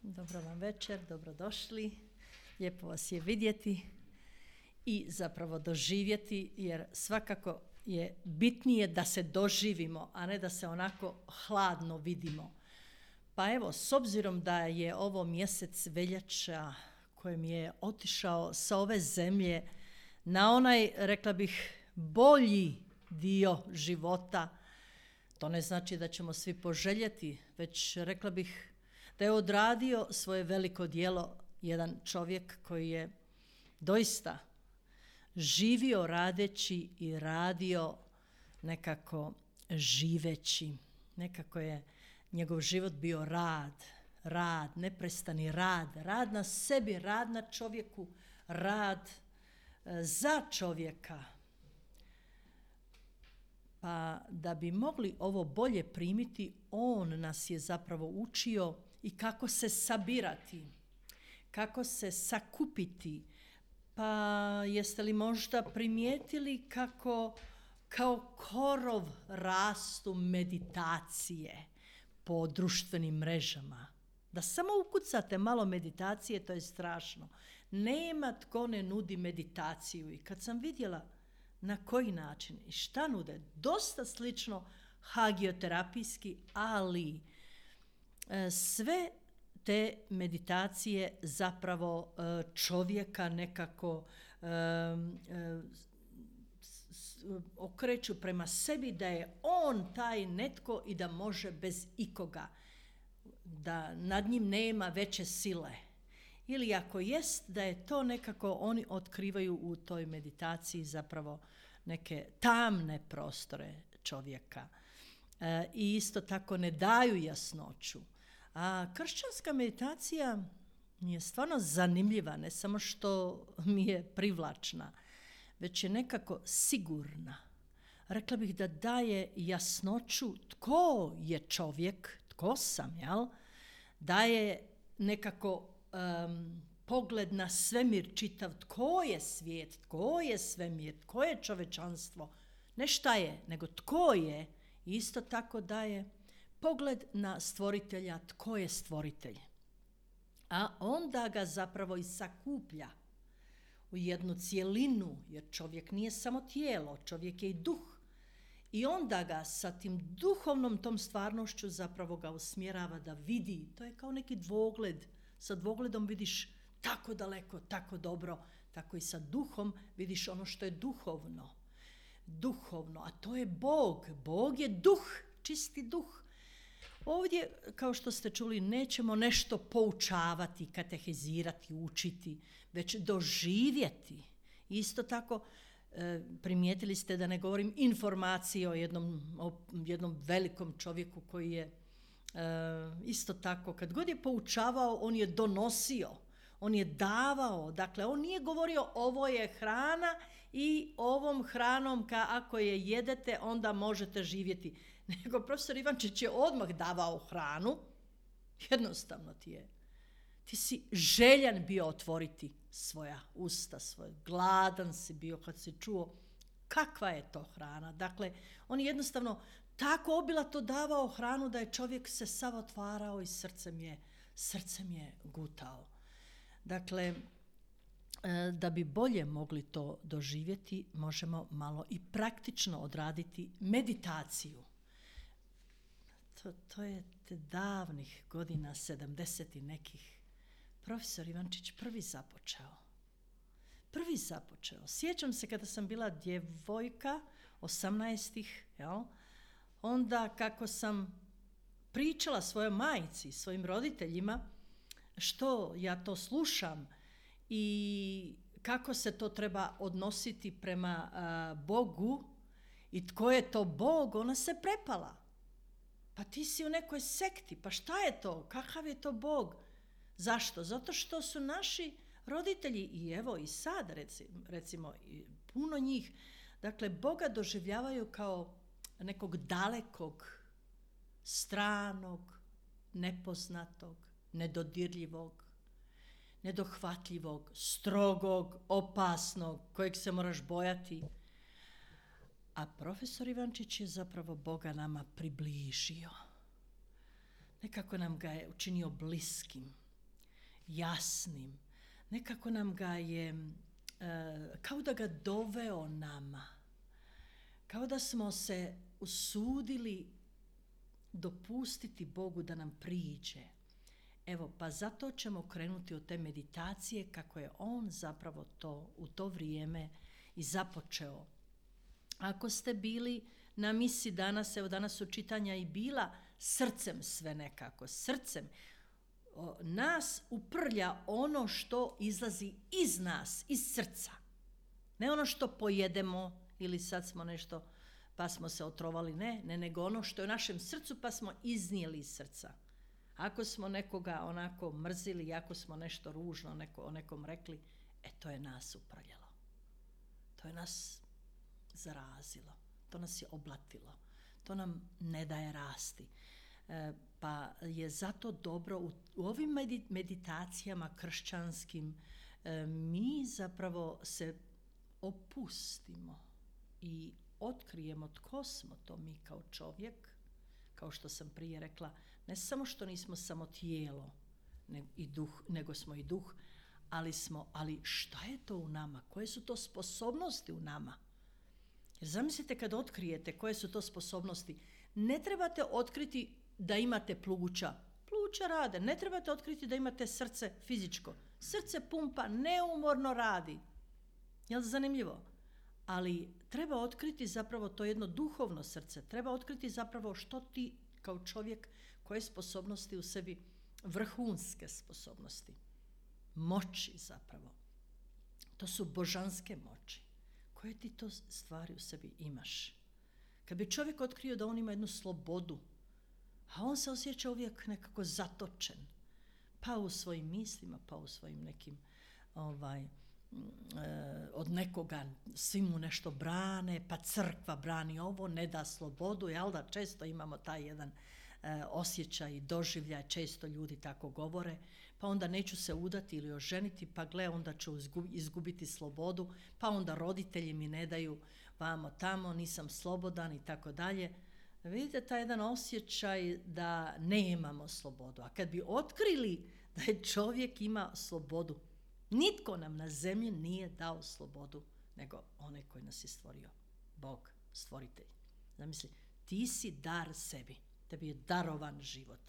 Dobro vam večer, dobrodošli. Lijepo vas je vidjeti i zapravo doživjeti, jer svakako je bitnije da se doživimo, a ne da se onako hladno vidimo. Pa evo, s obzirom da je ovo mjesec veljača kojem je otišao sa ove zemlje na onaj, rekla bih, bolji dio života, to ne znači da ćemo svi poželjeti, već rekla bih da je odradio svoje veliko djelo jedan čovjek koji je doista živio radeći i radio nekako živeći. Nekako je njegov život bio rad, neprestani rad na sebi, rad na čovjeku, rad za čovjeka. Pa da bi mogli ovo bolje primiti, on nas je zapravo učio i kako se sabirati, kako se sakupiti. Pa jeste li možda primijetili kako kao korov rastu meditacije po društvenim mrežama? Da samo ukucate malo meditacije, to je strašno. Nema tko ne nudi meditaciju. I kad sam vidjela na koji način i šta nude, dosta slično hagioterapijski, ali sve te meditacije zapravo čovjeka nekako okreću prema sebi, da je on taj netko i da može bez ikoga, da nad njim nema veće sile. Ili ako jest, da je to nekako oni otkrivaju u toj meditaciji zapravo neke tamne prostore čovjeka. I isto tako ne daju jasnoću. A kršćanska meditacija je stvarno zanimljiva, ne samo što mi je privlačna, već je nekako sigurna. Rekla bih da daje jasnoću tko je čovjek, tko sam, jel? Daje nekako pogled na svemir čitav, tko je svijet, tko je svemir, tko je čovečanstvo, ne šta je, nego tko je. Isto tako daje pogled na stvoritelja, tko je stvoritelj. A onda ga zapravo i sakuplja u jednu cjelinu, jer čovjek nije samo tijelo, čovjek je i duh. I onda ga sa tim duhovnom tom stvarnošću zapravo ga usmjerava da vidi. To je kao neki dvogled. Sa dvogledom vidiš tako daleko, tako dobro, tako i sa duhom vidiš ono što je duhovno. Duhovno, a to je Bog. Bog je duh, čisti duh. Ovdje, kao što ste čuli, nećemo nešto poučavati, katehizirati, učiti, već doživjeti. Isto tako, primijetili ste da ne govorim informacije o jednom velikom čovjeku koji je isto tako, kad god je poučavao, on je donosio, on je davao. Dakle, on nije govorio ovo je hrana i ovom hranom ako je jedete, onda možete živjeti. Nego profesor Ivančić je odmah davao hranu. Jednostavno ti si željan bio otvoriti svoja usta, gladan si bio kad si čuo kakva je to hrana. Dakle, on je jednostavno tako obilato davao hranu da je čovjek se sav otvarao i srcem je gutao. Dakle, da bi bolje mogli to doživjeti, možemo malo i praktično odraditi meditaciju. To je te davnih godina, 70 i nekih, profesor Ivančić prvi započeo. Sjećam se kada sam bila djevojka, 18-ih, jel? Onda kako sam pričala svojoj majci, svojim roditeljima, što ja to slušam i kako se to treba odnositi prema Bogu i tko je to Bog, ona se prepala. Pa ti si u nekoj sekti, pa šta je to, kakav je to Bog? Zašto? Zato što su naši roditelji, i evo i sad recimo puno njih, dakle Boga doživljavaju kao nekog dalekog, stranog, nepoznatog, nedodirljivog, nedohvatljivog, strogog, opasnog, kojeg se moraš bojati. A profesor Ivančić je zapravo Boga nama približio. Nekako nam ga je učinio bliskim. jasnim. Nekako nam ga je, kao da ga doveo nama. Kao da smo se usudili dopustiti Bogu da nam priđe. Evo, pa zato ćemo krenuti od te meditacije kako je on zapravo to u to vrijeme i započeo. Ako ste bili na misi danas, evo danas su čitanja i bila srcem sve nekako, srcem. Nas uprlja ono što izlazi iz nas, iz srca. Ne ono što pojedemo ili sad smo nešto pa smo se otrovali, ne, nego ono što je u našem srcu pa smo iznijeli iz srca. Ako smo nekoga onako mrzili, ako smo nešto ružno o nekom rekli, to je nas uprljalo. To je nas zarazilo, to nas je oblatilo, to nam ne daje rasti. Pa je zato dobro u ovim meditacijama kršćanskim mi zapravo se opustimo i otkrijemo tko smo to mi kao čovjek, kao što sam prije rekla, ne samo što nismo samo tijelo nego smo i duh, ali šta je to u nama, koje su to sposobnosti u nama? Jer zamislite kad otkrijete koje su to sposobnosti, ne trebate otkriti da imate pluća rade, ne trebate otkriti da imate srce fizičko, srce pumpa, neumorno radi. Jel zanimljivo? Ali treba otkriti zapravo to jedno duhovno srce, treba otkriti zapravo što ti kao čovjek, koje sposobnosti u sebi, vrhunske sposobnosti, moći zapravo. To su božanske moći. Koje ti to stvari u sebi imaš? Kad bi čovjek otkrio da on ima jednu slobodu, a on se osjeća uvijek nekako zatočen, pa u svojim mislima, pa u svojim nekim od nekoga svi mu nešto brane, pa crkva brani ovo, ne da slobodu, jel da često imamo taj jedan osjećaj i doživljaj, često ljudi tako govore, pa onda neću se udati ili oženiti, pa gle, onda ću izgubiti slobodu, pa onda roditelji mi ne daju vamo tamo, nisam slobodan i tako dalje. Vidite taj jedan osjećaj da nemamo slobodu, a kad bi otkrili da je čovjek ima slobodu, nitko nam na zemlji nije dao slobodu, nego onaj koji nas je stvorio, Bog, stvoritelj. Zamisli, ti si dar sebi, tebi je darovan život.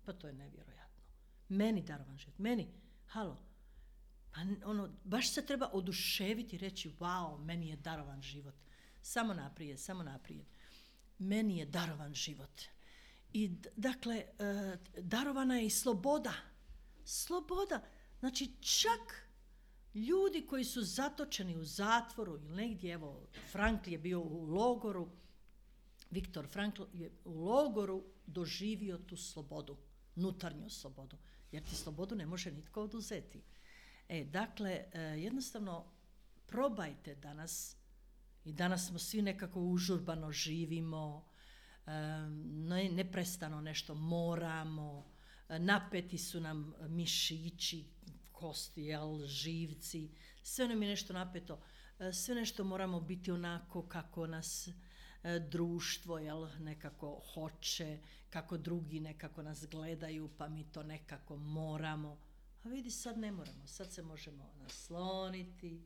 Pa to je nevjerojatno. Meni darovan život, meni, halo, pa baš se treba oduševiti i reći, wow, meni je darovan život. Samo naprijed. Meni je darovan život. I dakle, darovana je i sloboda. Sloboda, znači čak ljudi koji su zatočeni u zatvoru ili negdje, evo, Frankl je bio u logoru, Viktor Frankl je u logoru doživio tu slobodu, unutarnju slobodu, jer ti slobodu ne može nitko oduzeti. Dakle, jednostavno probajte danas, i danas smo svi nekako užurbano živimo, neprestano nešto moramo, napeti su nam mišići, kosti, živci, sve nam je nešto napeto, sve nešto moramo biti onako kako nas društvo nekako hoće, kako drugi nekako nas gledaju, pa mi to nekako moramo. A vidi, sad ne moramo, sad se možemo nasloniti,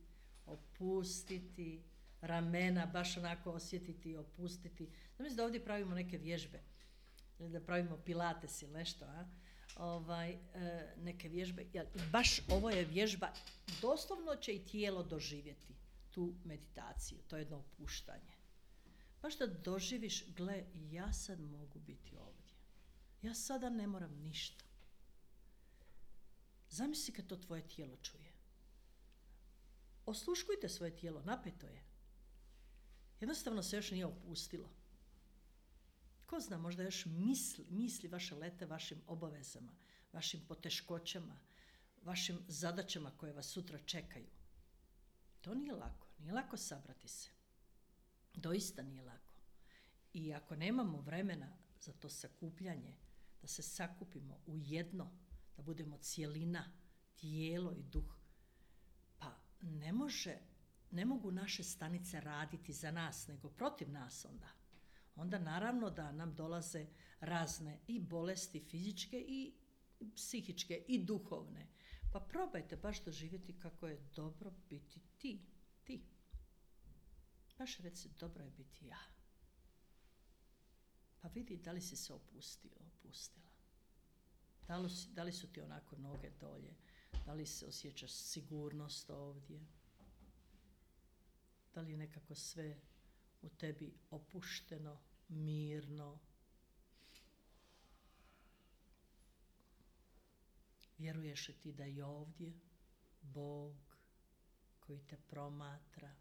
opustiti, ramena baš onako osjetiti i opustiti. Znam da ovdje pravimo neke vježbe, da pravimo pilates ili nešto, neke vježbe. Baš ovo je vježba, doslovno će i tijelo doživjeti tu meditaciju, to je jedno opuštanje. Baš da doživiš, gle, ja sad mogu biti ovdje. Ja sada ne moram ništa. Zamisli kad to tvoje tijelo čuje. Osluškujte svoje tijelo, napeto je. Jednostavno se još nije opustilo. Ko zna, možda još misli vaše lete vašim obavezama, vašim poteškoćama, vašim zadaćama koje vas sutra čekaju. To nije lako sabrati se. Doista nije lako. I ako nemamo vremena za to sakupljanje, da se sakupimo u jedno, da budemo cjelina, tijelo i duh, pa ne mogu naše stanice raditi za nas, nego protiv nas onda. Onda naravno da nam dolaze razne i bolesti fizičke i psihičke i duhovne, Pa probajte baš doživjeti kako je dobro biti ti. Baš reci, dobro je biti ja. Pa vidi da li si se opustila. Da li su ti onako noge dolje? Da li se osjećaš sigurnost ovdje? Da li je nekako sve u tebi opušteno, mirno? Vjeruješ li ti da je ovdje Bog koji te promatra,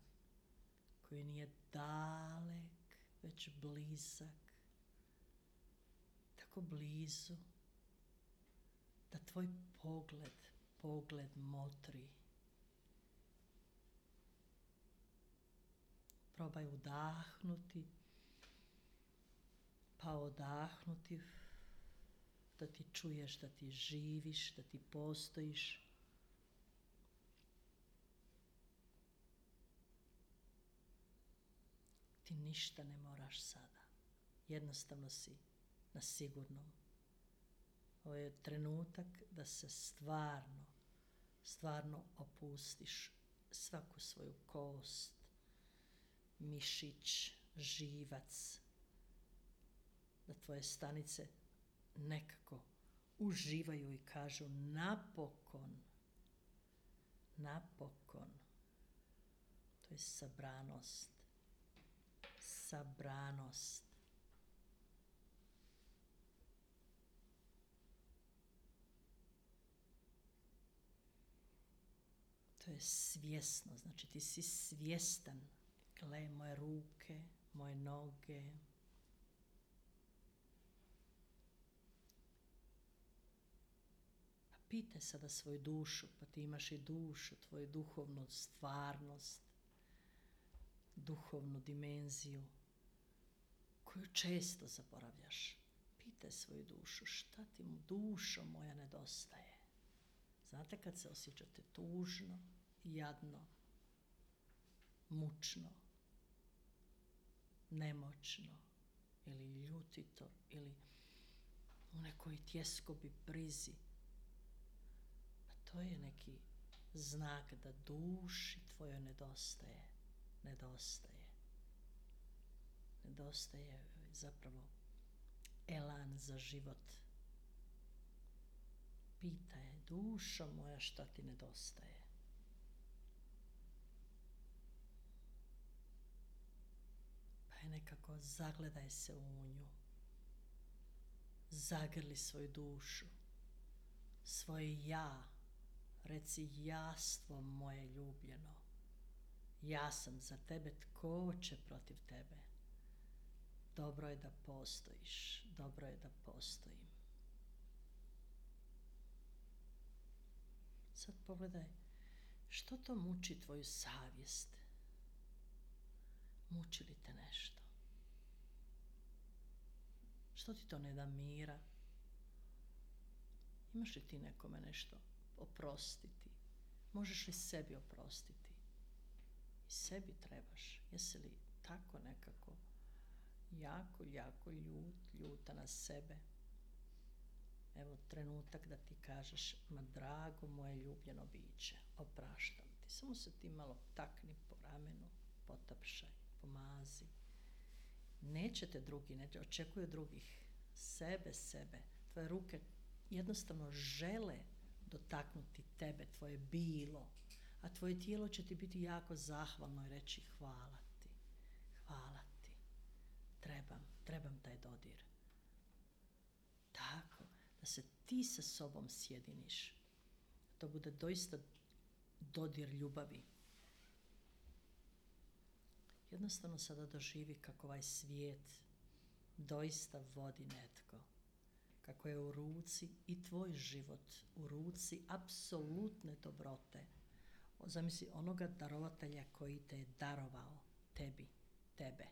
koji nije dalek, već blizak, tako blizu, da tvoj pogled motri. Probaj udahnuti, pa odahnuti, da ti čuješ, da ti živiš, da ti postojiš. Ti ništa ne moraš sada. Jednostavno si na sigurnom. Ovo je trenutak da se stvarno opustiš svaku svoju kost, mišić, živac, da tvoje stanice nekako uživaju i kažu napokon. To je sabranost. To je svjesno, znači ti si svjestan. Gle, moje ruke, moje noge. Pa pitaj sada svoju dušu, pa ti imaš i dušu, tvoju duhovnu stvarnost, duhovnu dimenziju koju često zaboravljaš. Pitaj svoju dušu, šta ti dušo moja nedostaje? Znate kad se osjećate tužno, jadno, mučno, nemoćno ili ljutito ili u nekoj tjeskobi brizi, pa to je neki znak da duši tvojoj nedostaje zapravo elan za život. Pitaj, dušo moja, šta ti nedostaje? Pa je nekako zagledaj se u nju. Zagrli svoju dušu, svoje ja. Reci, jastvo moje ljubljeno. Ja sam za tebe, tko će protiv tebe? Dobro je da postojiš, dobro je da postojim. Sad pogledaj, što to muči tvoju savjest? Muči li te nešto? Što ti to ne da mira? Imaš li ti nekome nešto oprostiti? Možeš li sebi oprostiti? I sebi trebaš. Jesi li tako nekako jako ljuta na sebe? Evo trenutak da ti kažeš, ma drago moje ljubljeno biće, opraštam ti. Samo se ti malo takni po ramenu, potapšaj, pomazi. Nećete drugi, ne očekuju drugih, sebe. Tvoje ruke jednostavno žele dotaknuti tebe, tvoje bilo, a tvoje tijelo će ti biti jako zahvalno i reći hvala ti, trebam taj dodir. Tako, da se ti sa sobom sjediniš, to bude doista dodir ljubavi. Jednostavno sada doživi kako ovaj svijet doista vodi netko, kako je u ruci i tvoj život, u ruci apsolutne dobrote. Zamisli onoga darovatelja koji te je darovao tebe.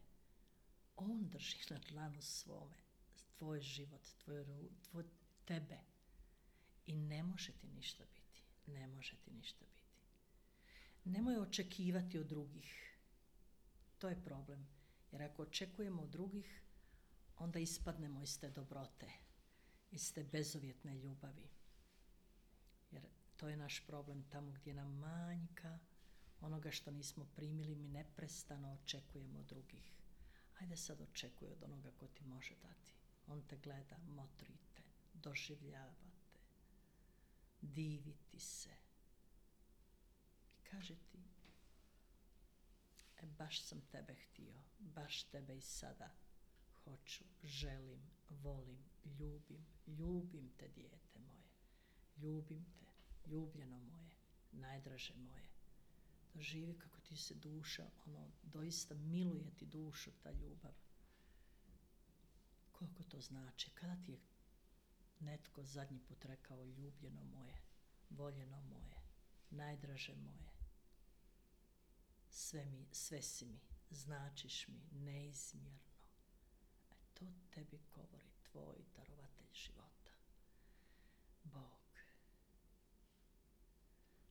On drži na dlanu svome tvoj život, tebe. I ne može ti ništa biti. Nemoj očekivati od drugih. To je problem. Jer ako očekujemo od drugih, onda ispadnemo iz te dobrote, iz te bezuvjetne ljubavi. Jer To je naš problem, tamo gdje nam manjka onoga što nismo primili, mi neprestano očekujemo od drugih. Ajde sad očekuj od onoga ko ti može dati. On te gleda, motrite, doživljavate, diviti se. I kaže ti, baš sam tebe htio, baš tebe i sada hoću, želim, volim, ljubim te, dijete moje, ljubim te, ljubljeno moje, najdraže moje. Doživi kako ti se duša, doista miluje ti dušu ta ljubav. Koliko to znači? Kada ti je netko zadnji put rekao ljubljeno moje, voljeno moje, najdraže moje, sve si mi, značiš mi neizmjerno. To tebi govori tvoj darovatelj života, Bog.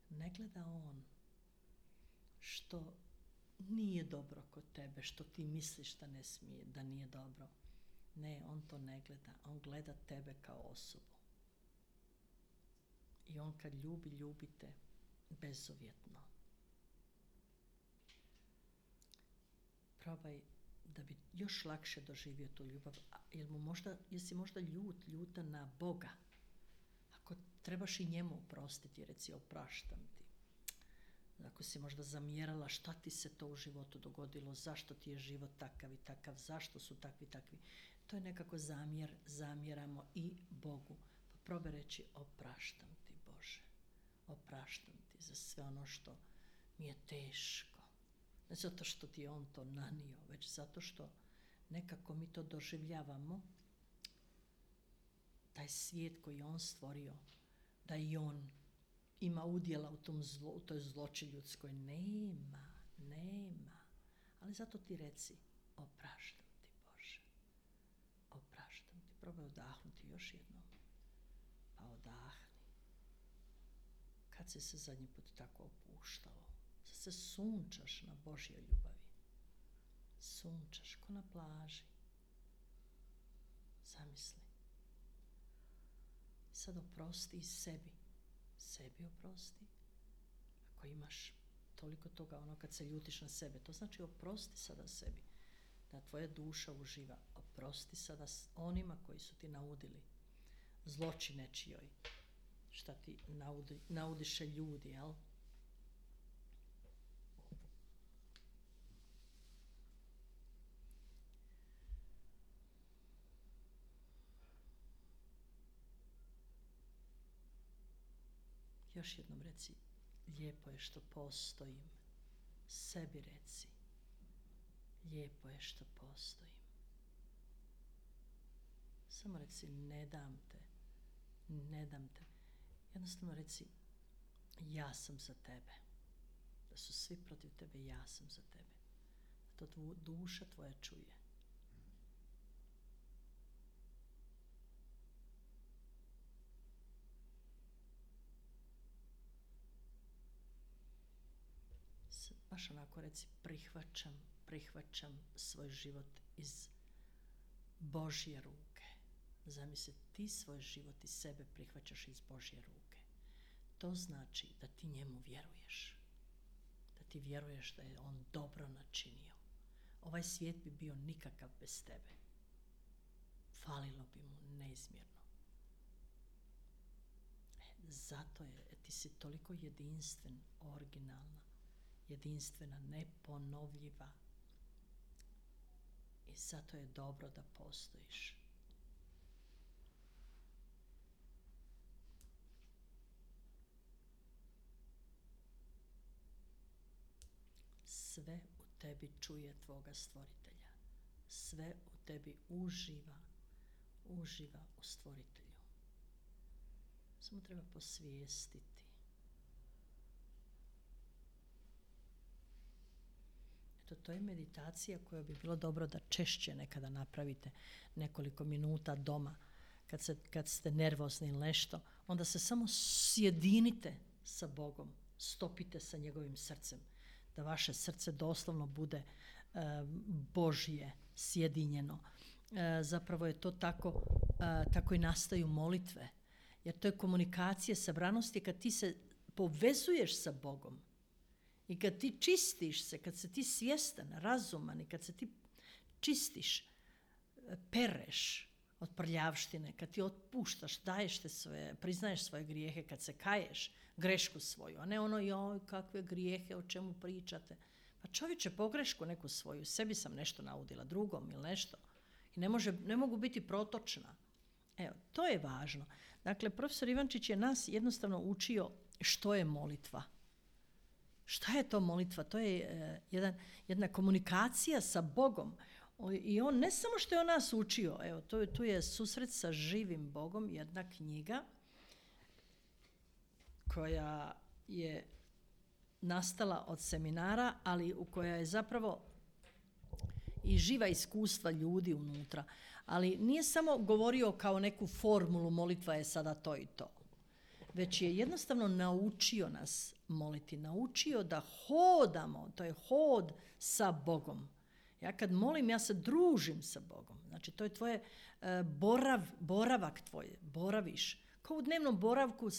Ne gleda on što nije dobro kod tebe, što ti misliš da ne smije, da nije dobro. Ne, on to ne gleda, on gleda tebe kao osobu. I on kad ljubite bezuvjetno. Probaj da bi još lakše doživio tu ljubav. Jesi možda ljuta na Boga? Ako trebaš i njemu oprostiti, reci opraštam ti. Ako si možda zamjerala šta ti se to u životu dogodilo, zašto ti je život takav i takav, zašto su takvi. To je nekako zamjeramo i Bogu. Pa probaj reći opraštam ti Bože, opraštam ti za sve ono što mi je teško. Ne zato što ti je on to nanio, već zato što nekako mi to doživljavamo, taj svijet koji je on stvorio, da i on ima udjela u toj zloči ljudskoj. Nema. Ali zato ti reci, opraštam ti Bože, opraštam ti. Probaj odahnuti još jednom. Pa odahni. Kad si se zadnji put tako opuštao? Sad se sunčaš na Božjoj ljubavi. Sunčaš ko na plaži. Zamisli. Sad oprosti i sebi. Sebi oprosti. Ako imaš toliko toga, kad se ljutiš na sebe, to znači oprosti sada sebi. Da tvoja duša uživa. Oprosti sada onima koji su ti naudili. Zloči nečijoj. Šta ti naudiše ljudi, jel? Još jednom reci, lijepo je što postojim. Sebi reci, lijepo je što postojim. Samo reci, ne dam te. Jednostavno reci, ja sam za tebe. Da su svi protiv tebe, ja sam za tebe. Da to duša tvoja čuje. Baš onako reci, prihvaćam svoj život iz Božje ruke. Zamisli, ti svoj život i sebe prihvaćaš iz Božje ruke. To znači da ti njemu vjeruješ. Da ti vjeruješ da je on dobro načinio. Ovaj svijet bi bio nikakav bez tebe. Falilo bi mu neizmjerno. Zato je, ti si toliko jedinstven, originalna, jedinstvena, neponovljiva. I zato je dobro da postojiš. Sve u tebi čuje tvoga stvoritelja. Sve u tebi uživa u stvoritelju. Samo treba posvijestiti. To je meditacija koju bi bilo dobro da češće nekada napravite, nekoliko minuta doma, kad ste nervozni ili nešto, onda se samo sjedinite sa Bogom, stopite sa njegovim srcem, da vaše srce doslovno bude Božje, sjedinjeno. Zapravo je to tako i nastaju molitve, Jer to je komunikacija sabranosti kad ti se povezuješ sa Bogom. I kad ti čistiš se, kad si ti svjestan, razuman i kad se ti čistiš, pereš od prljavštine, kad ti otpuštaš, daješ te svoje, priznaješ svoje grijehe, kad se kaješ, grešku svoju, a ne ono, joj, kakve grijehe, o čemu pričate. Pa čovječe, pogrešku neku svoju, sebi sam nešto naudila, drugom ili nešto. I ne mogu biti protočna. Evo, to je važno. Dakle, profesor Ivančić je nas jednostavno učio što je molitva. Šta je to molitva? To je jedna komunikacija sa Bogom. I on ne samo što je on nas učio, evo, tu je Susret sa živim Bogom, jedna knjiga koja je nastala od seminara, ali u koja je zapravo i živa iskustva ljudi unutra. Ali nije samo govorio kao neku formulu, molitva je sada to i to. Već je jednostavno naučio nas moliti, naučio da hodamo, to je hod sa Bogom. Ja kad molim, ja se družim sa Bogom. Znači, to je tvoje boravak tvoj, boraviš. Kao u dnevnom boravku,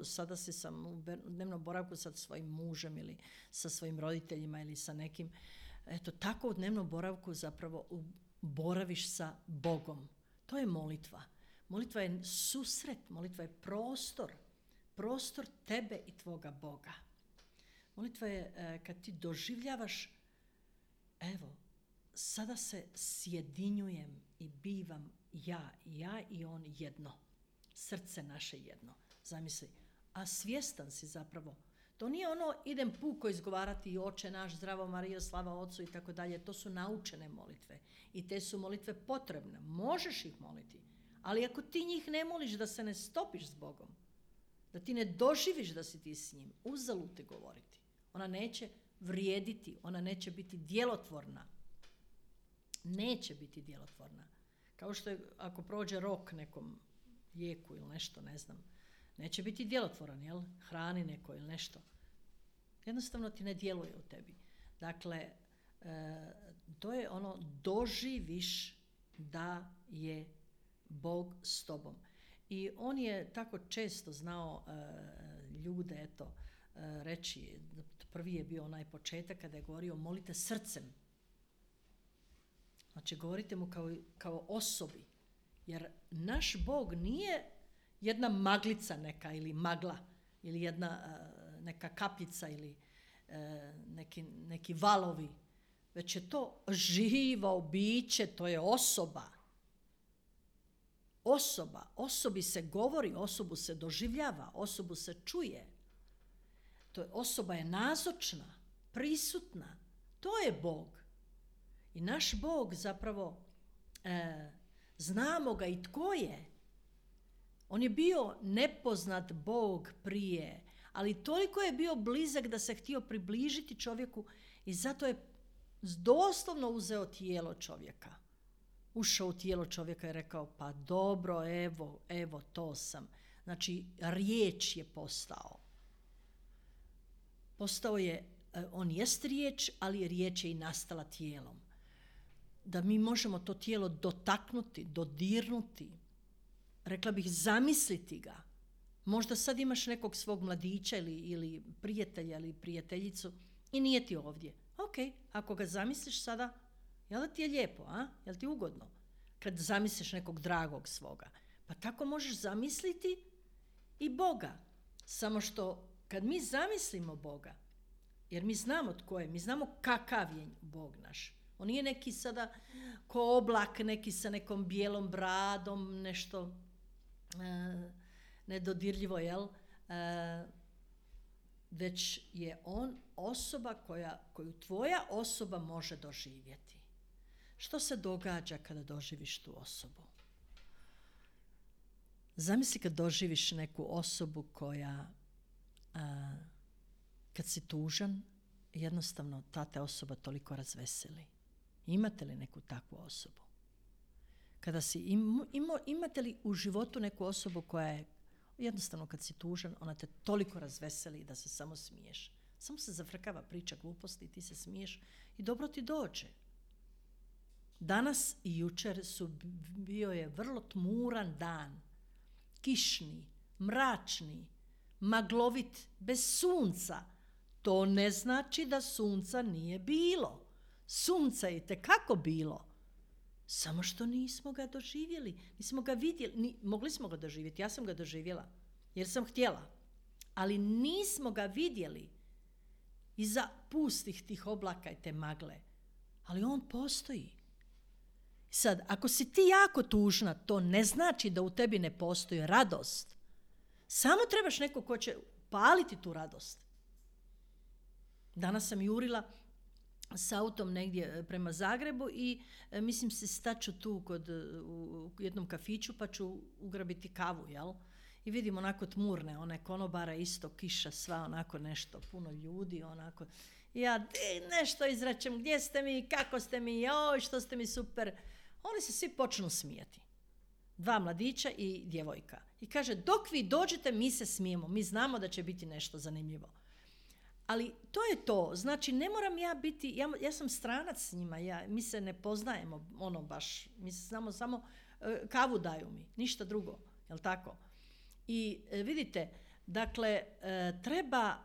sada si sam u dnevnom boravku sa svojim mužem ili sa svojim roditeljima ili sa nekim. Eto, tako u dnevnom boravku zapravo boraviš sa Bogom. To je molitva. Molitva je susret, molitva je prostor tebe i tvoga Boga. Molitva je kad ti doživljavaš, evo, sada se sjedinjujem i bivam ja i on jedno. Srce naše jedno. Zamisli. A svjestan si zapravo. To nije ono, idem puko izgovarati Oče naš, zdravo Marijo, slava Otcu i tako dalje. To su naučene molitve. I te su molitve potrebne. Možeš ih moliti. Ali ako ti njih ne moliš, da se ne stopiš s Bogom, da ti ne doživiš da si ti s njim, uzalud te govoriti. Ona neće vrijediti, ona neće biti djelotvorna. Neće biti djelotvorna. Kao što je ako prođe rok nekom lijeku ili nešto, ne znam, neće biti djelotvoran, jel? Hrani neko ili nešto. Jednostavno ti ne djeluje u tebi. Dakle, to je ono, doživiš da je Bog s tobom. I on je tako često znao ljude, reći, prvi je bio onaj početak kada je govorio molite srcem. Znači, govorite mu kao osobi. Jer naš Bog nije jedna maglica neka ili magla ili jedna neka kapljica ili neki valovi, već je to živo biće, to je osoba. Osobi se govori, osobu se doživljava, osobu se čuje. Osoba je nazočna, prisutna. To je Bog. I naš Bog zapravo, znamo ga i tko je. On je bio nepoznat Bog prije, ali toliko je bio blizak da se htio približiti čovjeku i zato je doslovno uzeo tijelo čovjeka. Ušao u tijelo čovjeka i rekao, pa dobro, evo, to sam. Znači, riječ je postao. Postao je, on jest riječ, ali riječ je i nastala tijelom. Da mi možemo to tijelo dotaknuti, dodirnuti, rekla bih zamisliti ga. Možda sad imaš nekog svog mladića ili prijatelja ili prijateljicu i nije ti ovdje. Ok, ako ga zamisliš sada, jel da ti je lijepo, a? Jel ti ugodno? Kad zamisliš nekog dragog svoga. Pa tako možeš zamisliti i Boga. Samo što kad mi zamislimo Boga, jer mi znamo tko je, mi znamo kakav je Bog naš. On nije neki sada ko oblak, neki sa nekom bijelom bradom, nešto nedodirljivo, jel? Već je on osoba koju tvoja osoba može doživjeti. Što se događa kada doživiš tu osobu? Zamisli kad doživiš neku osobu koja, kad si tužan, jednostavno ta te osoba toliko razveseli. Imate li neku takvu osobu? Kada imate li u životu neku osobu koja je, jednostavno kad si tužan, ona te toliko razveseli da se samo smiješ. Samo se zafrkava priča gluposti, ti se smiješ i dobro ti dođe. Danas i jučer bio je vrlo tmuran dan kišni, mračni, maglovit, bez sunca, to ne znači da sunca nije bilo. Sunca je itekako bilo. Samo što nismo ga doživjeli, nismo ga vidjeli, mogli smo ga doživjeti, ja sam ga doživjela, jer sam htjela, ali nismo ga vidjeli iza pustih tih oblaka i te magle, ali on postoji. Sad, ako si ti jako tužna, to ne znači da u tebi ne postoji radost. Samo trebaš neko ko će paliti tu radost. Danas sam jurila s autom negdje prema Zagrebu i mislim se staću tu u jednom kafiću pa ću ugrabiti kavu, jel? I vidim onako tmurne, one konobara, isto kiša, sva onako nešto, puno ljudi, onako. Ja nešto izračem, gdje ste mi, kako ste mi, joj, što ste mi super. Oni se svi počnu smijati. 2 mladića i djevojka. I kaže, dok vi dođete, mi se smijemo, mi znamo da će biti nešto zanimljivo. Ali to je to, znači ne moram ja biti, ja sam stranac s njima, mi se ne poznajemo, ono baš, mi se znamo samo kavu daju mi, ništa drugo, jel tako? I vidite, dakle, treba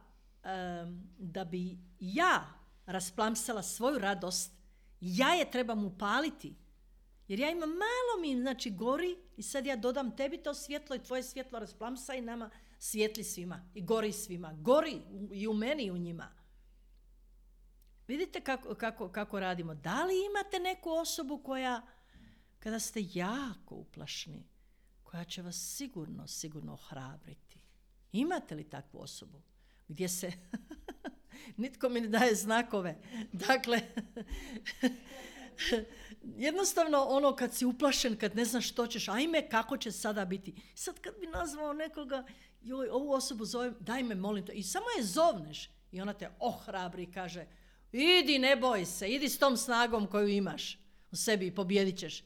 da bi ja rasplamsala svoju radost, ja je trebam upaliti, jer ja imam malo mi, znači gori i sad ja dodam tebi to svjetlo i tvoje svjetlo rasplamsa i nama svijetli svima i gori svima. Gori i u meni i u njima. Vidite kako radimo. Da li imate neku osobu koja, kada ste jako uplašni, koja će vas sigurno ohrabriti? Imate li takvu osobu? Gdje se nitko mi ne daje znakove. Dakle, jednostavno ono kad si uplašen, kad ne znaš što ćeš, ajme kako će sada biti. Sad kad bi nazvao nekoga, joj, ovu osobu zovem, daj me molim te. I samo je zovneš i ona te ohrabri i kaže, idi ne boj se, idi s tom snagom koju imaš u sebi i pobjedit ćeš.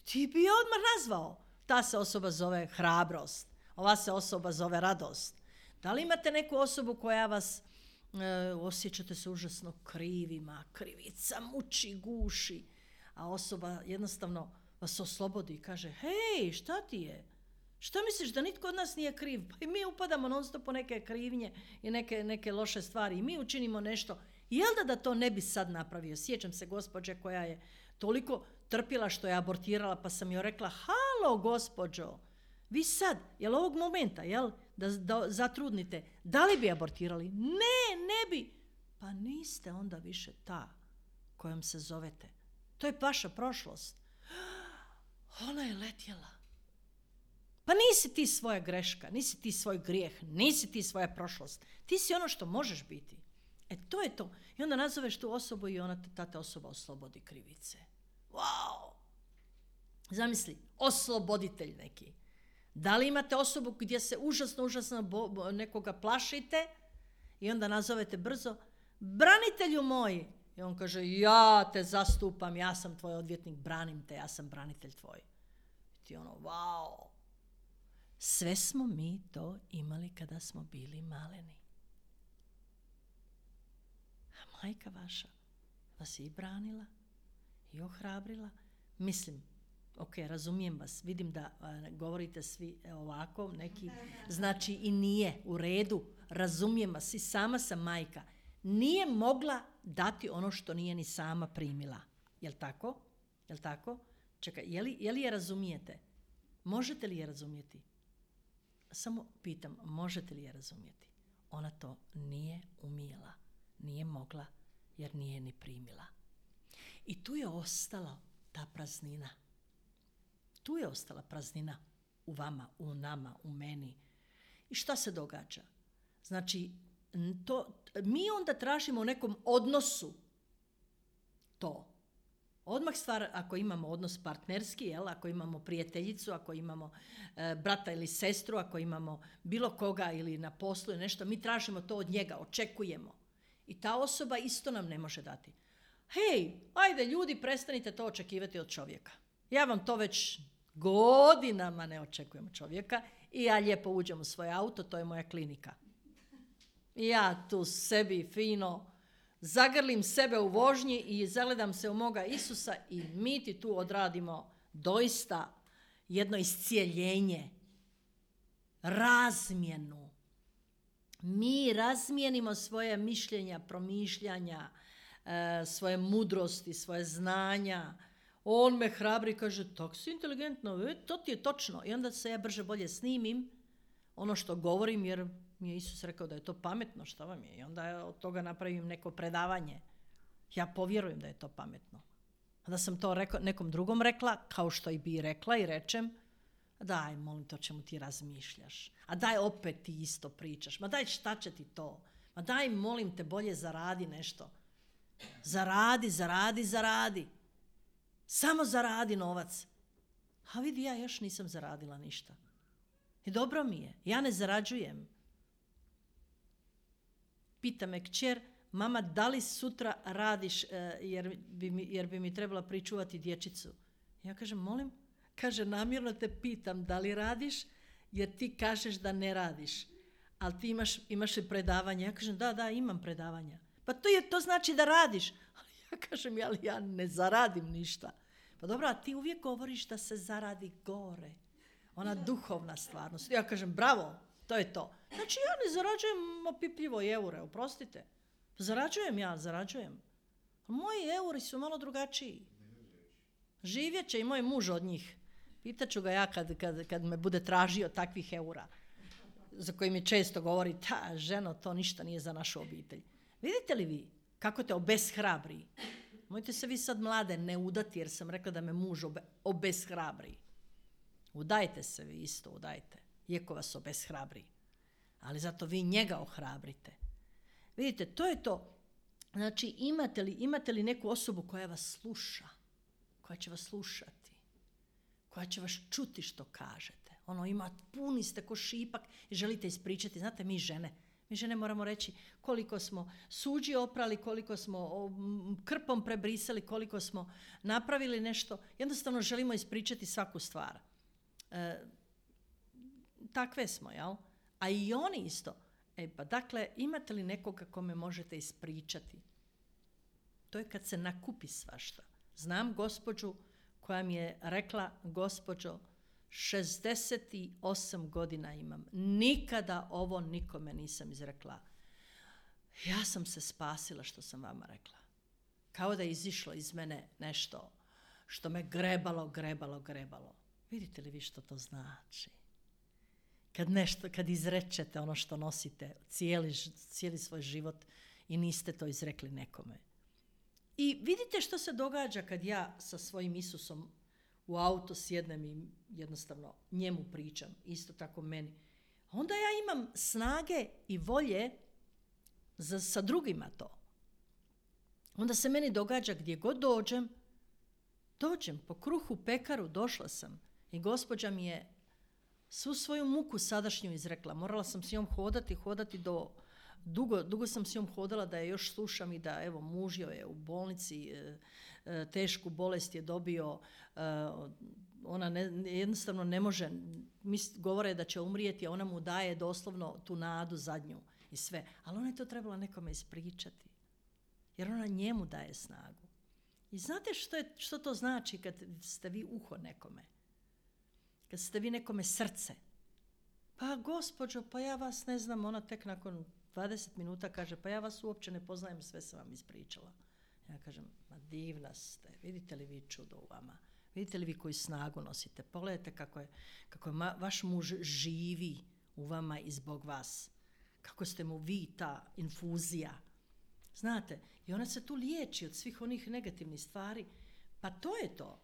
Ti bi je odmah nazvao. Ta se osoba zove hrabrost, ova se osoba zove radost. Da li imate neku osobu koja vas osjećate se užasno krivima, krivica muči, guši, a osoba jednostavno vas oslobodi i kaže, hej, šta ti je? Šta misliš da nitko od nas nije kriv? Pa i mi upadamo non stop po neke krivnje i neke loše stvari i mi učinimo nešto. Jel da to ne bi sad napravio? Sjećam se gospođe koja je toliko trpila što je abortirala, pa sam joj rekla, halo gospođo, vi sad, jel ovog momenta, jel, da zatrudnite, da li bi abortirali? Ne bi. Pa niste onda više ta kojom se zovete. To je vaša prošlost. Ona je letjela. Pa nisi ti svoja greška, nisi ti svoj grijeh, nisi ti svoja prošlost. Ti si ono što možeš biti. To je to. I onda nazoveš tu osobu i ta osoba oslobodi krivice. Wow! Zamisli, osloboditelj neki. Da li imate osobu gdje se užasno nekoga plašite i onda nazovete brzo, branitelju moj. I on kaže, ja te zastupam, ja sam tvoj odvjetnik, branim te, ja sam branitelj tvoj. I ti ono, wow! Sve smo mi to imali kada smo bili maleni. A majka vaša vas je i branila i ohrabrila. Mislim, ok, razumijem vas, vidim da govorite svi ovako, neki, znači i nije u redu, razumijem vas, i sama sam majka. Nije mogla dati ono što nije ni sama primila. Jel tako? Jel tako? Čekaj, je li je razumijete? Možete li je razumjeti? Samo pitam, možete li je razumjeti? Ona to nije umjela, nije mogla, jer nije ni primila. I tu je ostala ta praznina. Tu je ostala praznina u vama, u nama, u meni. I šta se događa? Znači, mi onda tražimo u nekom odnosu to. Odmah stvar, ako imamo odnos partnerski, jel, ako imamo prijateljicu, ako imamo brata ili sestru, ako imamo bilo koga ili na poslu ili nešto, mi tražimo to od njega, očekujemo. I ta osoba isto nam ne može dati. Hej, ajde ljudi, prestanite to očekivati od čovjeka. Ja vam to već godinama ne očekujem od čovjeka i ja lijepo uđem u svoj auto, to je moja klinika. I ja tu sebi fino zagrlim sebe u vožnji i zagledam se u moga Isusa i mi ti tu odradimo doista jedno iscijeljenje. razmjenu. Mi razmijenimo svoje mišljenja, promišljanja, svoje mudrosti, svoje znanja. On me hrabri i kaže, tako si inteligentno, to ti je točno. I onda se ja brže bolje snimim ono što govorim, jer mi je Isus rekao da je to pametno, što vam je. I onda od toga napravim neko predavanje. Ja povjerujem da je to pametno. A da sam to nekom drugom rekla, kao što i bi rekla i rečem, daj, molim, to čemu ti razmišljaš. A daj, opet ti isto pričaš. Ma daj, šta će ti to? Ma daj, molim te, bolje zaradi nešto. Zaradi. Samo zaradi novac. A vidi, ja još nisam zaradila ništa. I dobro mi je. Ja ne zarađujem. Pita me kćer, mama, da li sutra radiš jer bi mi trebala pričuvati dječicu? Ja kažem, molim? Kaže, namjerno te pitam da li radiš jer ti kažeš da ne radiš. Ali ti imaš li predavanje? Ja kažem, da, imam predavanja. Pa to znači da radiš. Ali ja kažem, ali ja ne zaradim ništa. Pa dobro, a ti uvijek govoriš da se zaradi gore. Ona duhovna stvarnost. Ja kažem, bravo, to je to. Znači, ja ne zarađujem opipljivo eure, oprostite. Zarađujem. Moji euri su malo drugačiji. Živjet će i moj muž od njih. Pitaću ga ja kad me bude tražio takvih eura, za koji mi često govori, ženo, to ništa nije za našu obitelj. Vidite li vi kako te obeshrabri? Mojte se vi sad mlade ne udati, jer sam rekla da me muž obeshrabri. Udajte se vi isto, udajte. Iako vas obeshrabri. Ali zato vi njega ohrabrite. Vidite, to je to. Znači, imate li neku osobu koja vas sluša? Koja će vas slušati? Koja će vas čuti što kažete? Puni ste ko šipak i želite ispričati. Znate, mi žene moramo reći koliko smo suđi oprali, koliko smo krpom prebrisali, koliko smo napravili nešto. Jednostavno želimo ispričati svaku stvar. Takve smo, jel? A i oni isto. Dakle, imate li nekoga kome možete ispričati? To je kad se nakupi svašta. Znam gospođu koja mi je rekla, gospođo, 68 godina imam. Nikada ovo nikome nisam izrekla. Ja sam se spasila što sam vama rekla. Kao da je izišlo iz mene nešto što me grebalo. Vidite li vi što to znači? Kad izrečete ono što nosite cijeli svoj život i niste to izrekli nekome. I vidite što se događa kad ja sa svojim Isusom u auto sjednem i jednostavno njemu pričam, isto tako meni. Onda ja imam snage i volje sa drugima to. Onda se meni događa gdje god dođem po kruhu u pekaru, došla sam i gospođa mi je svu svoju muku sadašnju izrekla. Morala sam s njom hodati do... Dugo sam s njom hodala da je još slušam i da, evo, muž joj je u bolnici, tešku bolest je dobio, ona jednostavno ne može, govore da će umrijeti, a ona mu daje doslovno tu nadu zadnju i sve. Ali ona je to trebala nekome ispričati, jer ona njemu daje snagu. I znate što to znači kad ste vi uho nekome? Kad ste vi nekome srce? Pa gospođo, pa ja vas ne znam, ona tek nakon 20 minuta kaže, pa ja vas uopće ne poznajem, sve sam vam ispričala. Ja kažem, ma divna ste, vidite li vi čudo u vama? Vidite li vi koju snagu nosite? Pogledajte kako je vaš muž živi u vama i zbog vas. Kako ste mu vi ta infuzija. Znate, i ona se tu liječi od svih onih negativnih stvari. Pa to je to.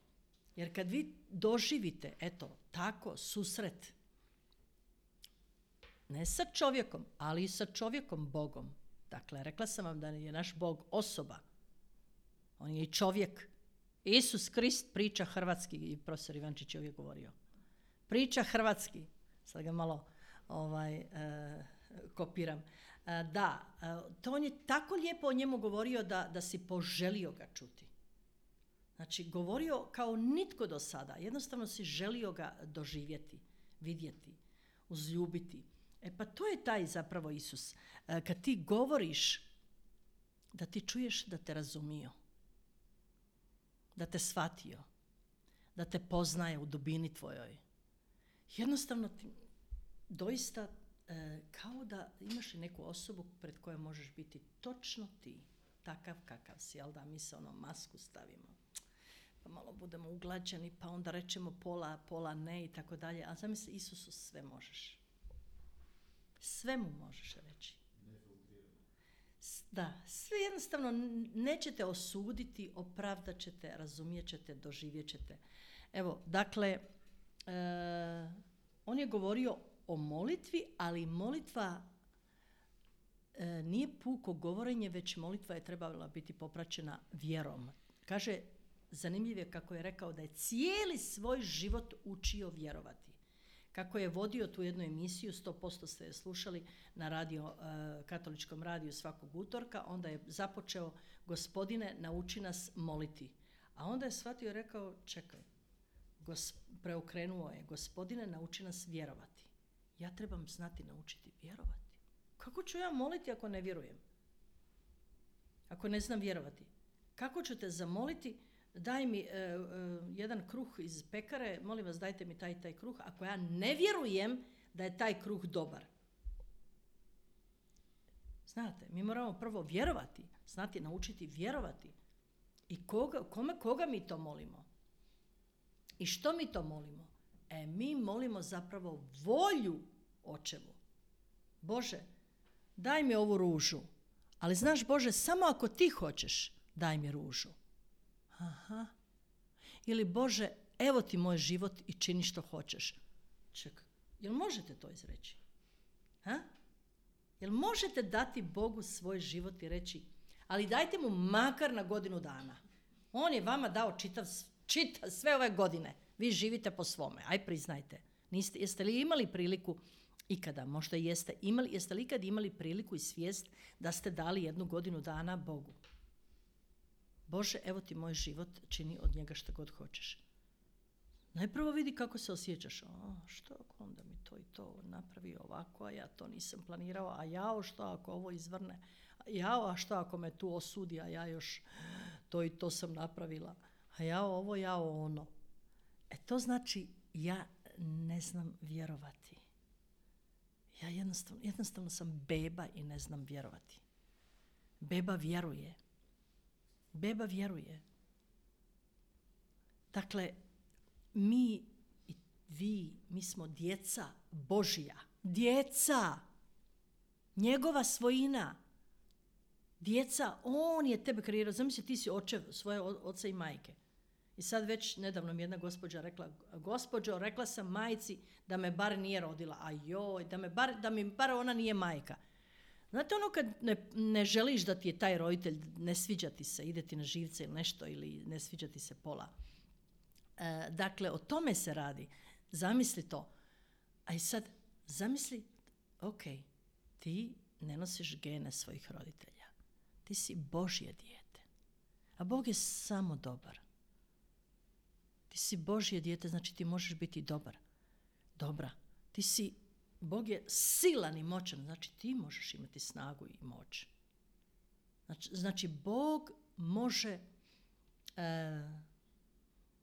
Jer kad vi doživite, eto, tako, susret, ne sa čovjekom, ali i sa čovjekom Bogom. Dakle, rekla sam vam da je naš Bog osoba. On je i čovjek. Isus Krist priča hrvatski, i profesor Ivančić je uvijek govorio. Priča hrvatski. Sad ga malo kopiram. To on je tako lijepo o njemu govorio da si poželio ga čuti. Znači, govorio kao nitko do sada. Jednostavno si želio ga doživjeti, vidjeti, uzljubiti. Pa to je taj zapravo Isus. Kad ti govoriš, da ti čuješ da te razumio, da te shvatio, da te poznaje u dubini tvojoj. Jednostavno doista kao da imaš i neku osobu pred kojom možeš biti točno ti, takav kakav si, jel da mi se masku stavimo, pa malo budemo uglađeni, pa onda rečemo pola ne i tako dalje, a zamisli, Isusu sve možeš. Sve mu možeš reći. Da, sve jednostavno nećete osuditi, opravdat ćete, razumijet ćete, doživjet ćete. Evo, dakle, on je govorio o molitvi, ali molitva nije puko govorenje, već molitva je trebala biti popraćena vjerom. Kaže, zanimljivo je kako je rekao da je cijeli svoj život učio vjerovati. Kako je vodio tu jednu emisiju, 100% ste je slušali na katoličkom radiju svakog utorka, onda je započeo: Gospodine, nauči nas moliti. A onda je shvatio i rekao: čekaj, preokrenuo je: Gospodine, nauči nas vjerovati. Ja trebam znati naučiti vjerovati. Kako ću ja moliti ako ne vjerujem? Ako ne znam vjerovati? Kako ću te zamoliti: daj mi jedan kruh iz pekare, molim vas dajte mi taj kruh, ako ja ne vjerujem da je taj kruh dobar. Znate, mi moramo prvo vjerovati, znati naučiti vjerovati. I koga mi to molimo? I što mi to molimo? Mi molimo zapravo volju Očevu. Bože, daj mi ovu ružu, ali znaš Bože, samo ako ti hoćeš, daj mi ružu. Aha. Ili Bože, evo ti moj život i čini što hoćeš. Čekaj, jel možete to izreći? Jel možete dati Bogu svoj život i reći: ali dajte mu makar na godinu dana. On je vama dao čitav sve ove godine. Vi živite po svome. Aj priznajte. Jeste li imali priliku ikada, možda jeste li ikad imali priliku i svijest da ste dali 1 godinu dana Bogu? Bože, evo ti moj život, čini od njega što god hoćeš. Najprvo vidi kako se osjećaš. Što ako onda mi to i to napravi ovako, a ja to nisam planirao, a jao što ako ovo izvrne, a što ako me tu osudi, a ja još to i to sam napravila, a jao ovo, jao ono. To znači ja ne znam vjerovati. Ja jednostavno sam beba i ne znam vjerovati. Beba vjeruje. Beba vjeruje. Dakle, mi i vi, mi smo djeca Božja. Djeca. Njegova svojina. Djeca, on je tebe kreirao. Zamisli, ti si očev svoje oca i majke. I sad već nedavno mi jedna gospođa rekla: gospođo, rekla sam majci da me bar nije rodila. A joj, da mi bar ona nije majka. Znate ono kad ne želiš da ti je taj roditelj, ne sviđa ti se, ide ti na živce ili nešto, ili ne sviđa ti se pola. Dakle, o tome se radi. Zamisli to. A i sad, zamisli, ok, ti ne nosiš gene svojih roditelja. Ti si Božje dijete. A Bog je samo dobar. Ti si Božje dijete, znači ti možeš biti dobar. Dobra. Bog je silan i moćan, znači ti možeš imati snagu i moć. Znači Bog može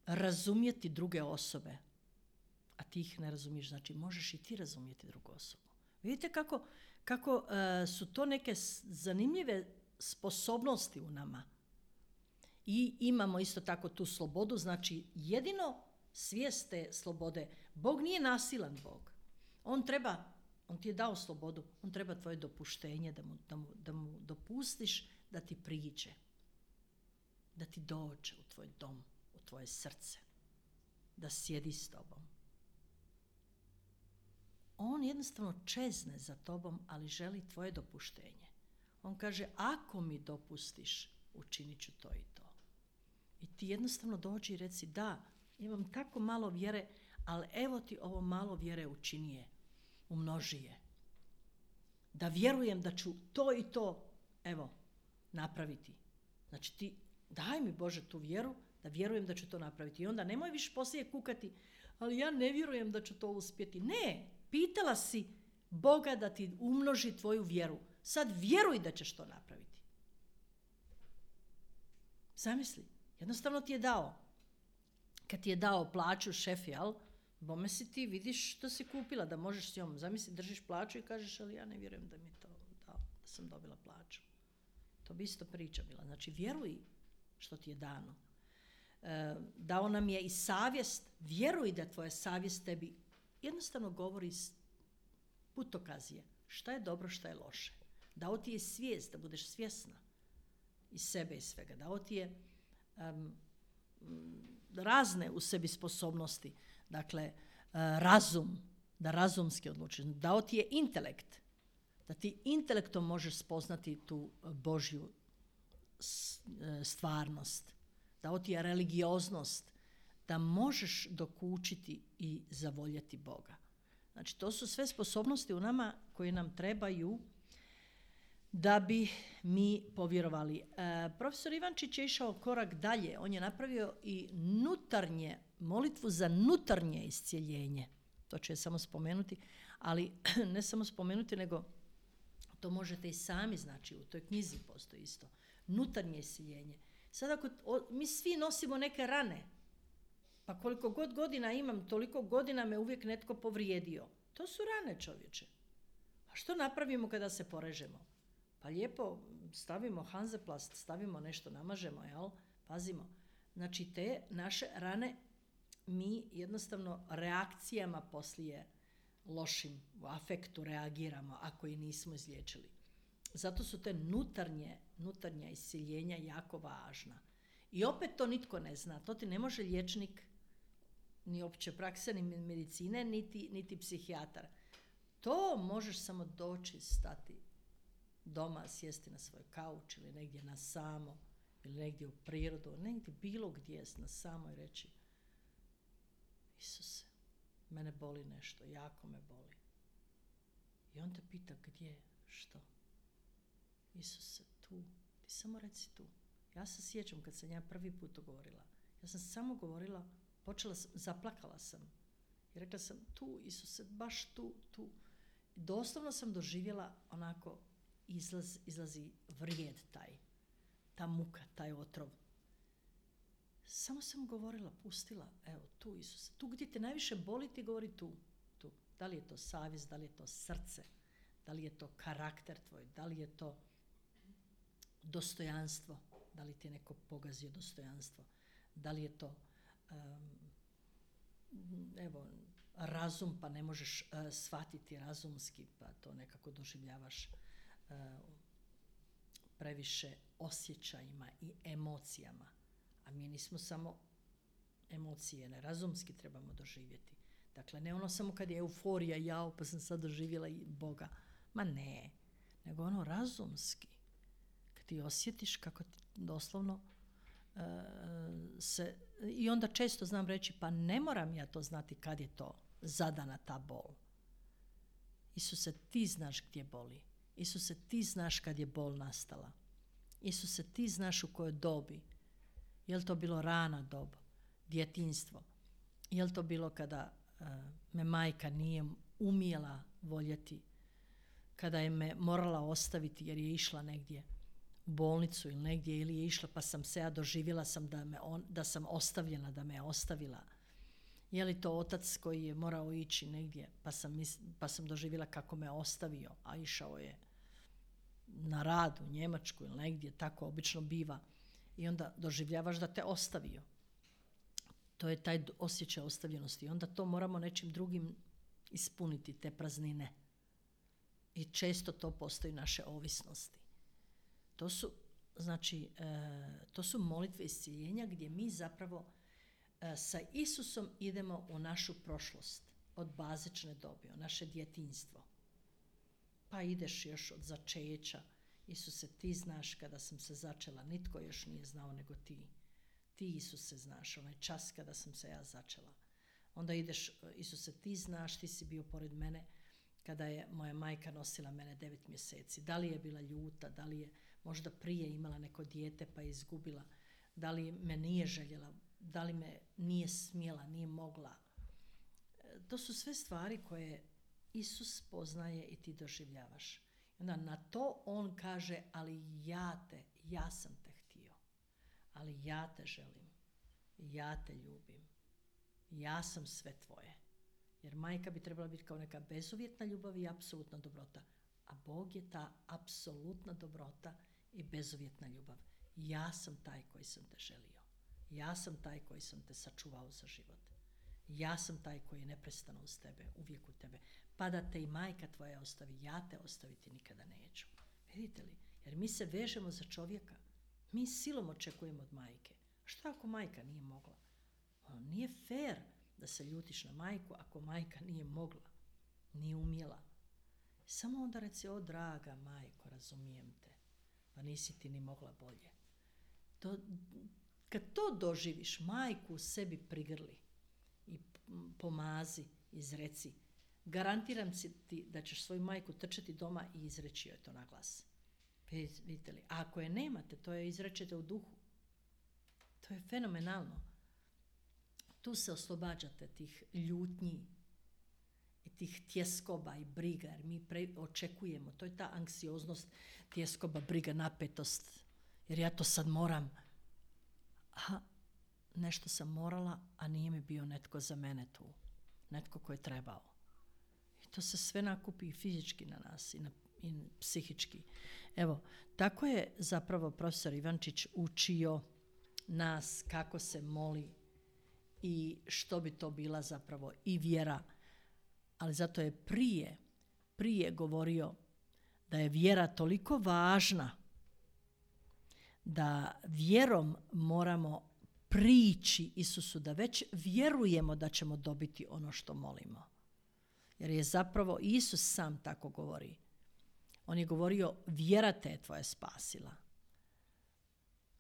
razumjeti druge osobe, a ti ih ne razumiješ, znači možeš i ti razumjeti drugu osobu. Vidite kako su to neke zanimljive sposobnosti u nama. I imamo isto tako tu slobodu, znači jedino svijest te slobode. Bog nije nasilan Bog. On ti je dao slobodu, on treba tvoje dopuštenje da mu dopustiš da ti priđe, da ti dođe u tvoj dom, u tvoje srce, da sjedi s tobom. On jednostavno čezne za tobom, ali želi tvoje dopuštenje. On kaže: ako mi dopustiš, učinit ću to i to. I ti jednostavno dođi i reci: da, imam tako malo vjere, ali evo ti ovo malo vjere, učini je, umnoži je. Da vjerujem da ću to i to, evo, napraviti. Znači ti daj mi Bože tu vjeru, da vjerujem da ću to napraviti. I onda nemoj više poslije kukati: ali ja ne vjerujem da ću to uspjeti. Ne, pitala si Boga da ti umnoži tvoju vjeru. Sad vjeruj da ćeš to napraviti. Zamisli, jednostavno ti je dao. Kad ti je dao plaću šef, jel? Bome si ti vidiš što si kupila, da možeš s njom, zamisli, držiš plaću i kažeš, ali ja ne vjerujem da mi to dao, da sam dobila plaću. To bi isto priča bila. Znači, vjeruj što ti je dano. Dao nam je i savjest, vjeruj da tvoja savjest tebi jednostavno govori putokazije. Šta je dobro, šta je loše. Dao ti je svijest, da budeš svjesna iz sebe i svega. Dao ti je razne u sebi sposobnosti. Dakle, razum, da razumski odlučiš. Dao ti je intelekt, da ti intelektom možeš spoznati tu Božju stvarnost. Dao ti je religioznost, da možeš dokučiti i zavoljeti Boga. Znači, to su sve sposobnosti u nama koje nam trebaju da bi mi povjerovali. Profesor Ivančić je išao korak dalje. On je napravio i molitvu za nutarnje iscjeljenje. To ću je samo spomenuti, ali ne samo spomenuti, nego to možete i sami, znači u toj knjizi postoji isto. Nutarnje iscjeljenje. Sad ako mi svi nosimo neke rane, pa koliko god godina imam, toliko godina me uvijek netko povrijedio. To su rane, čovječe. A što napravimo kada se porežemo? Pa lijepo stavimo Hanzeplast, stavimo nešto, namažemo, jel? Pazimo. Znači, te naše rane mi jednostavno reakcijama poslije lošim u afektu reagiramo ako i nismo izliječili. Zato su te nutarnja iscjeljenja jako važna. I opet to nitko ne zna. To ti ne može liječnik ni opće prakse, ni medicine, niti psihijatar. To možeš samo doći, stati doma, sjesti na svoj kauč ili negdje na samo, ili negdje u prirodu, negdje bilo gdje na samo i reći: Isuse, mene boli nešto, jako me boli. I on te pita gdje, što? Isuse, tu, ti samo reci tu. Ja se sjećam kad sam ja prvi put to govorila. Ja sam samo govorila, zaplakala sam. I rekla sam tu, Isuse, baš tu. Doslovno sam doživjela onako, izlazi vrijed ta muka, taj otrov. Samo sam govorila, pustila, evo tu, Isuse. Tu gdje te najviše boli, ti govori tu. Da li je to savjest, da li je to srce, da li je to karakter tvoj, da li je to dostojanstvo, da li ti je neko pogazio dostojanstvo, da li je to razum, pa ne možeš shvatiti razumski, pa to nekako doživljavaš previše osjećajima i emocijama. A mi nismo samo emocije, ne, razumski trebamo doživjeti. Dakle, ne ono samo kad je euforija, jao, pa sam sad doživjela i Boga. Ma ne, nego ono razumski. Kad ti osjetiš kako ti doslovno se... I onda često znam reći, pa ne moram ja to znati kad je to zadana ta bol. Isuse, ti znaš gdje boli. Isuse, ti znaš kad je bol nastala. Isuse, ti znaš u kojoj dobi. Je li to bilo rana dob, djetinjstvo? Je li to bilo kada me majka nije umjela voljeti, kada je me morala ostaviti jer je išla negdje u bolnicu ili negdje, ili je išla pa sam se ja doživjela da sam ostavljena, da me je ostavila. Je li to otac koji je morao ići negdje pa sam doživjela kako me ostavio, a išao je na rad u Njemačku ili negdje, tako obično biva. I onda doživljavaš da te ostavio. To je taj osjećaj ostavljenosti. I onda to moramo nečim drugim ispuniti, te praznine. I često to postoji naše ovisnosti. To su molitve iscjeljenja gdje mi zapravo sa Isusom idemo u našu prošlost od bazične dobi, u naše djetinjstvo. Pa ideš još od začeća. Isuse, ti znaš kada sam se začela, nitko još nije znao nego ti. Ti, Isuse, znaš, onaj čas kada sam se ja začela. Onda ideš, Isuse, ti znaš, ti si bio pored mene kada je moja majka nosila mene 9 mjeseci. Da li je bila ljuta, da li je možda prije imala neko dijete pa je izgubila, da li me nije željela, da li me nije smjela, nije mogla. To su sve stvari koje Isus poznaje i ti doživljavaš. Onda na to on kaže, ali ja sam te htio, ali ja te želim, ja te ljubim, ja sam sve tvoje. Jer majka bi trebala biti kao neka bezuvjetna ljubav i apsolutna dobrota. A Bog je ta apsolutna dobrota i bezuvjetna ljubav. Ja sam taj koji sam te želio. Ja sam taj koji sam te sačuvao za život. Ja sam taj koji je neprestano uz tebe, uvijek u tebe. Pa da te i majka tvoja ostavi, ja te ostaviti nikada neću. Vidite li? Jer mi se vežemo za čovjeka. Mi silom očekujemo od majke. Šta ako majka nije mogla? Nije fair da se ljutiš na majku ako majka nije mogla, nije umjela. Samo onda reci, o draga majko, razumijem te, pa nisi ti ni mogla bolje. Kad to doživiš, majku u sebi prigrli i pomazi, izreci. Garantiram ti da ćeš svoju majku trčati doma i izreći joj to na glas. Vidite li? A ako je nemate, to je izrečete u duhu. To je fenomenalno. Tu se oslobađate tih ljutnji i tih tjeskoba i briga, jer mi očekujemo. To je ta anksioznost, tjeskoba, briga, napetost. Jer ja to sad moram. Aha, nešto sam morala, a nije mi bio netko za mene tu. Netko ko je trebao. I to se sve nakupi i fizički na nas i psihički. Evo, tako je zapravo profesor Ivančić učio nas kako se moli i što bi to bila zapravo i vjera. Ali zato je prije govorio da je vjera toliko važna da vjerom moramo prići Isusu, da već vjerujemo da ćemo dobiti ono što molimo. Jer je zapravo Isus sam tako govori. On je govorio, vjera te je tvoja spasila.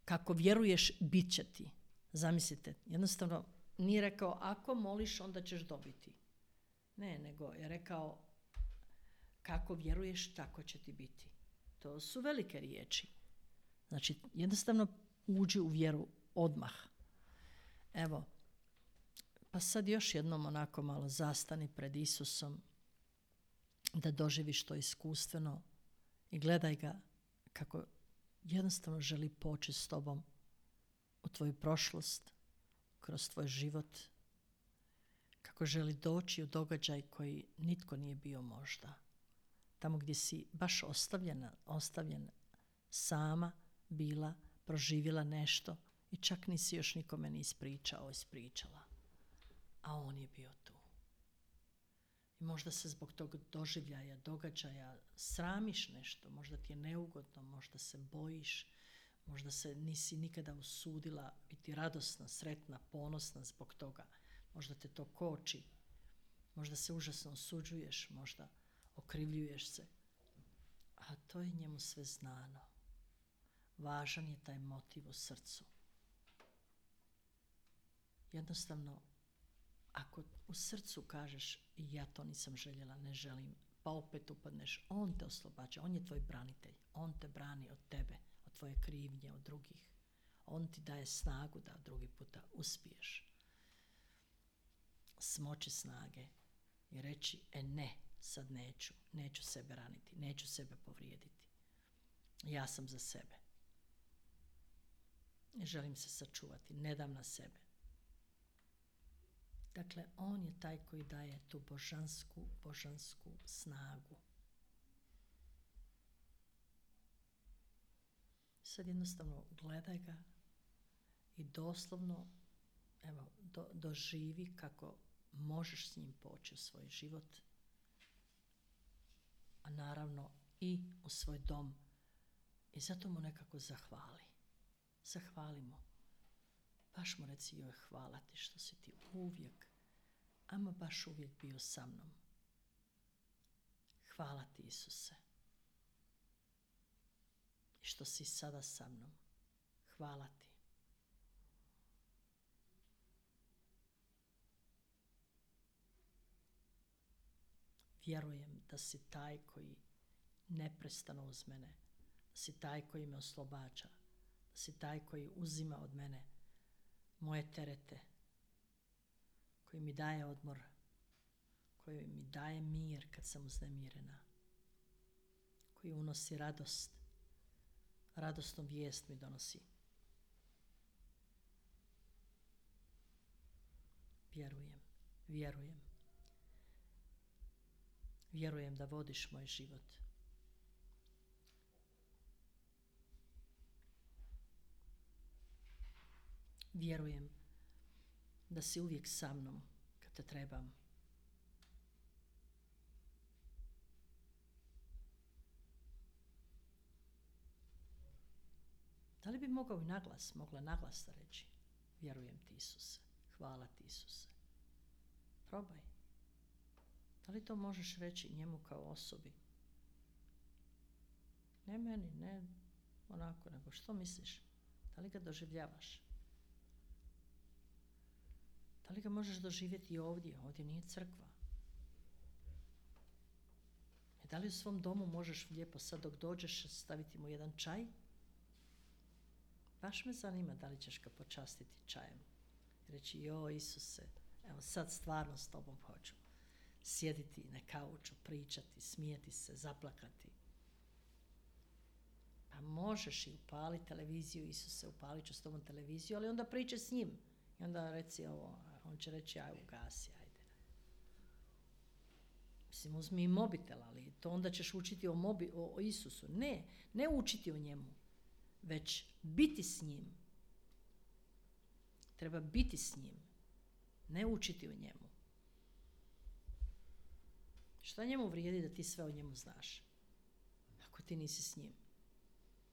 Kako vjeruješ, bit će ti. Zamislite, jednostavno nije rekao, ako moliš, onda ćeš dobiti. Ne, nego je rekao, kako vjeruješ, tako će ti biti. To su velike riječi. Znači, jednostavno uđi u vjeru odmah. Evo, pa sad još jednom onako malo zastani pred Isusom, da doživiš to iskustveno i gledaj ga kako jednostavno želi poći s tobom u tvoju prošlost, kroz tvoj život, kako želi doći u događaj koji nitko nije bio možda. Tamo gdje si baš ostavljen sama bila, proživjela nešto i čak nisi još nikome ni ispričala. A on je bio tu. I možda se zbog tog doživljaja, događaja sramiš nešto, možda ti je neugodno, možda se bojiš, možda se nisi nikada usudila biti radosna, sretna, ponosna zbog toga. Možda te to koči, možda se užasno osuđuješ, možda okrivljuješ se. A to je njemu sve znano. Važan je taj motiv u srcu. Jednostavno, ako u srcu kažeš ja to nisam željela, ne želim, pa opet upadneš, on te oslobađa, on je tvoj branitelj, on te brani od tebe, od tvoje krivnje, od drugih. On ti daje snagu da drugi puta uspiješ. Smoći snage i reći, ne, sad neću sebe raniti, neću sebe povrijediti. Ja sam za sebe. Želim se sačuvati, ne dam na sebe. Dakle, on je taj koji daje tu božansku snagu. Sad jednostavno gledaj ga i doslovno doživi kako možeš s njim poći u svoj život, a naravno i u svoj dom. I zato mu nekako zahvali. Zahvali mu. Baš mu reci, joj, hvala ti što si ti uvijek, ama baš uvijek bio sa mnom. Hvala ti, Isuse. I što si sada sa mnom. Hvala ti. Vjerujem da si taj koji neprestano uz mene, da si taj koji me oslobađa, da si taj koji uzima od mene moje terete, koji mi daje odmor, koji mi daje mir kad sam uznemirena, koji unosi radost, radosnu vijest mi donosi. Vjerujem. Vjerujem da vodiš moj život. Vjerujem da si uvijek sa mnom kad te trebam. Da li bi mogla naglas da reći? Vjerujem ti, Isuse. Hvala ti, Isuse. Probaj. Da li to možeš reći njemu kao osobi? Ne meni, ne onako, nego što misliš? Da li ga doživljavaš? Da li ga možeš doživjeti i ovdje? Ovdje nije crkva. I da li u svom domu možeš lijepo sad dok dođeš staviti mu jedan čaj? Baš me zanima da li ćeš ga počastiti čajem. Reći, joj Isuse, evo sad stvarno s tobom hoću sjediti na kauču, pričati, smijeti se, zaplakati. Pa možeš i upali televiziju, Isuse, upalit ću s tobom televiziju, ali onda pričaj s njim. I onda reci ovo, on će reći, aj ugasi, ajde. Mislim, uzmi i mobitel, ali to onda ćeš učiti o Isusu. Ne učiti o njemu, već biti s njim. Treba biti s njim, ne učiti o njemu. Šta njemu vrijedi da ti sve o njemu znaš? Ako ti nisi s njim.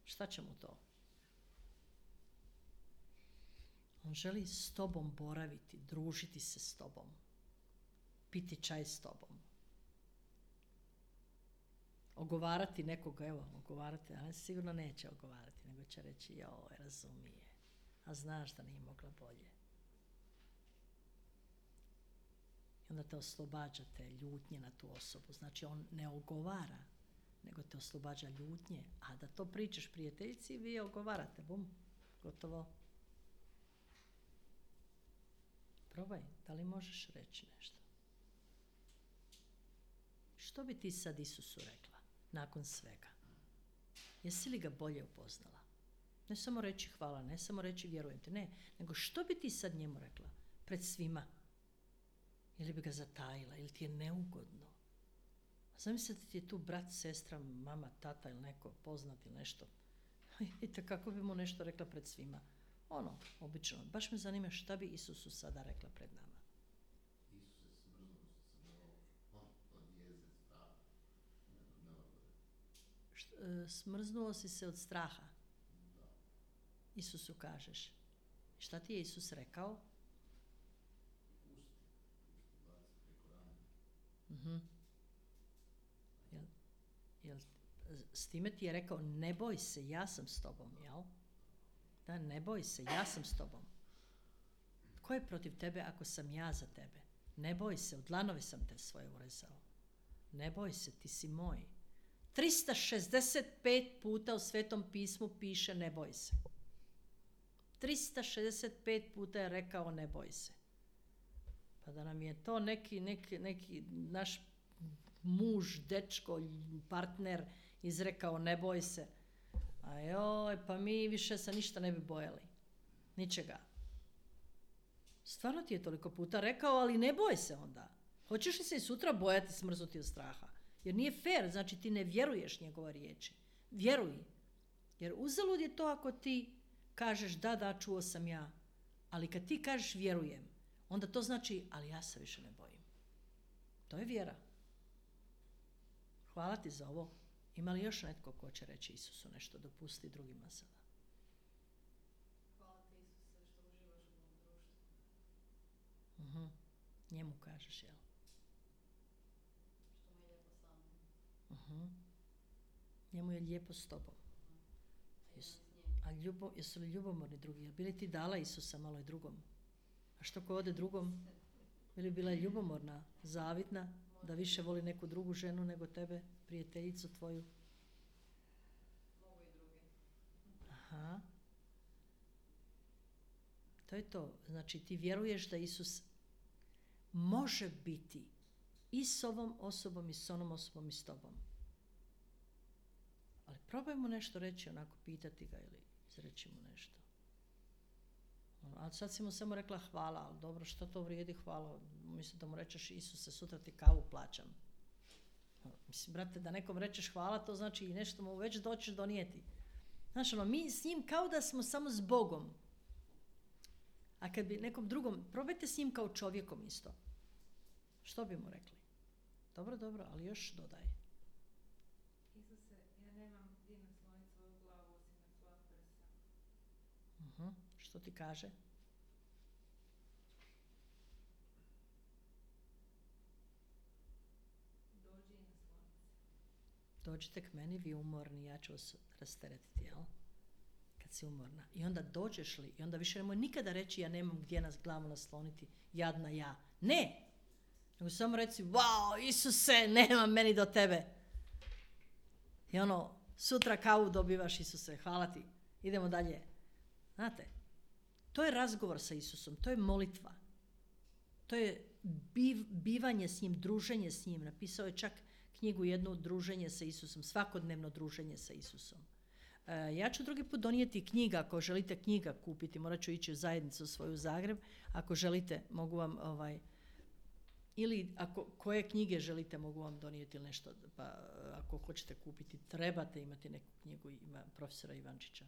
Šta će mu to? On želi s tobom boraviti, družiti se s tobom, piti čaj s tobom. Ogovarati nekoga, ali sigurno neće ogovarati, nego će reći, joj, razumije, a znaš da nije mogla bolje. I onda te oslobađa te ljutnje na tu osobu. Znači, on ne ogovara, nego te oslobađa ljutnje, a da to pričaš prijateljici, vi ogovarate, bum, gotovo. Probaj, da li možeš reći nešto? Što bi ti sad Isusu rekla nakon svega? Jesi li ga bolje upoznala? Ne samo reći hvala, ne samo reći vjerujem te, ne, nego što bi ti sad njemu rekla pred svima? Ili bi ga zatajila, ili ti je neugodno? Zamislite ti je tu brat, sestra, mama, tata ili neko poznat ili nešto. Vidite kako bi mu nešto rekla pred svima. Ono, obično. Baš me zanima šta bi Isusu sada rekla pred nama. Smrznuo si se od straha. Isusu kažeš. Šta ti je Isus rekao? S time ti je rekao, ne boj se, ja sam s tobom, jel? Da, ne boj se, ja sam s tobom. Tko je protiv tebe ako sam ja za tebe? Ne boj se, u dlanove sam te svoje urezao. Ne boj se, ti si moj. 365 puta u Svetom pismu piše ne boj se. 365 puta je rekao ne boj se. Pa da nam je to neki naš muž, dečko, partner izrekao ne boj se. A joj, pa mi više se ništa ne bi bojali. Ničega. Stvarno ti je toliko puta rekao, ali ne boj se onda. Hoćeš li se i sutra bojati, smrznuti od straha? Jer nije fair, znači ti ne vjeruješ njegove riječi. Vjeruj. Jer uzalud je to ako ti kažeš da, čuo sam ja. Ali kad ti kažeš vjerujem, onda to znači, ali ja se više ne bojim. To je vjera. Hvala ti za ovo. Ima li još netko ko će reći Isusu nešto, dopusti drugima sada? Hvala ti Isuse što uživaš u mom društvu. Njemu kažeš, jel? Što mu je lijepo sa mnom. Njemu je lijepo s tobom. A jesu li ljubomorni drugi? Jel bi li ti dala Isusa malo i drugom? A što ko ode drugom? Bi li bila ljubomorna, zavidna, da više voli neku drugu ženu nego tebe, prijateljicu tvoju? Mogu i druge. Aha. To je to. Znači ti vjeruješ da Isus može biti i s ovom osobom i s onom osobom i s tobom. Ali probaj mu nešto reći, onako pitati ga ili izreći mu nešto. Ali sad si mu samo rekla hvala, ali dobro, što to vrijedi hvala? Mislim da mu rečeš Isuse, sutra ti kavu plaćam. Mislim, brate, da nekom rečeš hvala, to znači i nešto mu već doćeš donijeti. Znaš, mi s njim kao da smo samo s Bogom. A kad bi nekom drugom, probajte s njim kao čovjekom isto. Što bi mu rekli? Dobro, ali još dodaj. Isuse, ja nemam gdje nasloniti svoju glavu osim na tvoja prsa. Što ti kaže? Dođi i nasloni se. Dođite k meni, vi umorni, ja ću vas rasteretiti, jel? Kad si umorna. I onda dođeš li, i onda više nemoj nikada reći ja nemam gdje nas glavu nasloniti, jadna ja. Ne! Nego samo reci, wow, Isuse, nema meni do tebe. I sutra kavu dobivaš, Isuse, hvala ti. Idemo dalje. Znate, to je razgovor sa Isusom, to je molitva. To je bivanje s njim, druženje s njim. Napisao je čak knjigu jednu, druženje sa Isusom, svakodnevno druženje sa Isusom. Ja ću drugi put donijeti knjiga, ako želite knjiga kupiti, morat ću ići u zajednicu svoju u Zagreb, ako želite mogu vam, ili koje knjige želite mogu vam donijeti ili nešto, pa ako hoćete kupiti, trebate imati neku knjigu profesora Ivančića.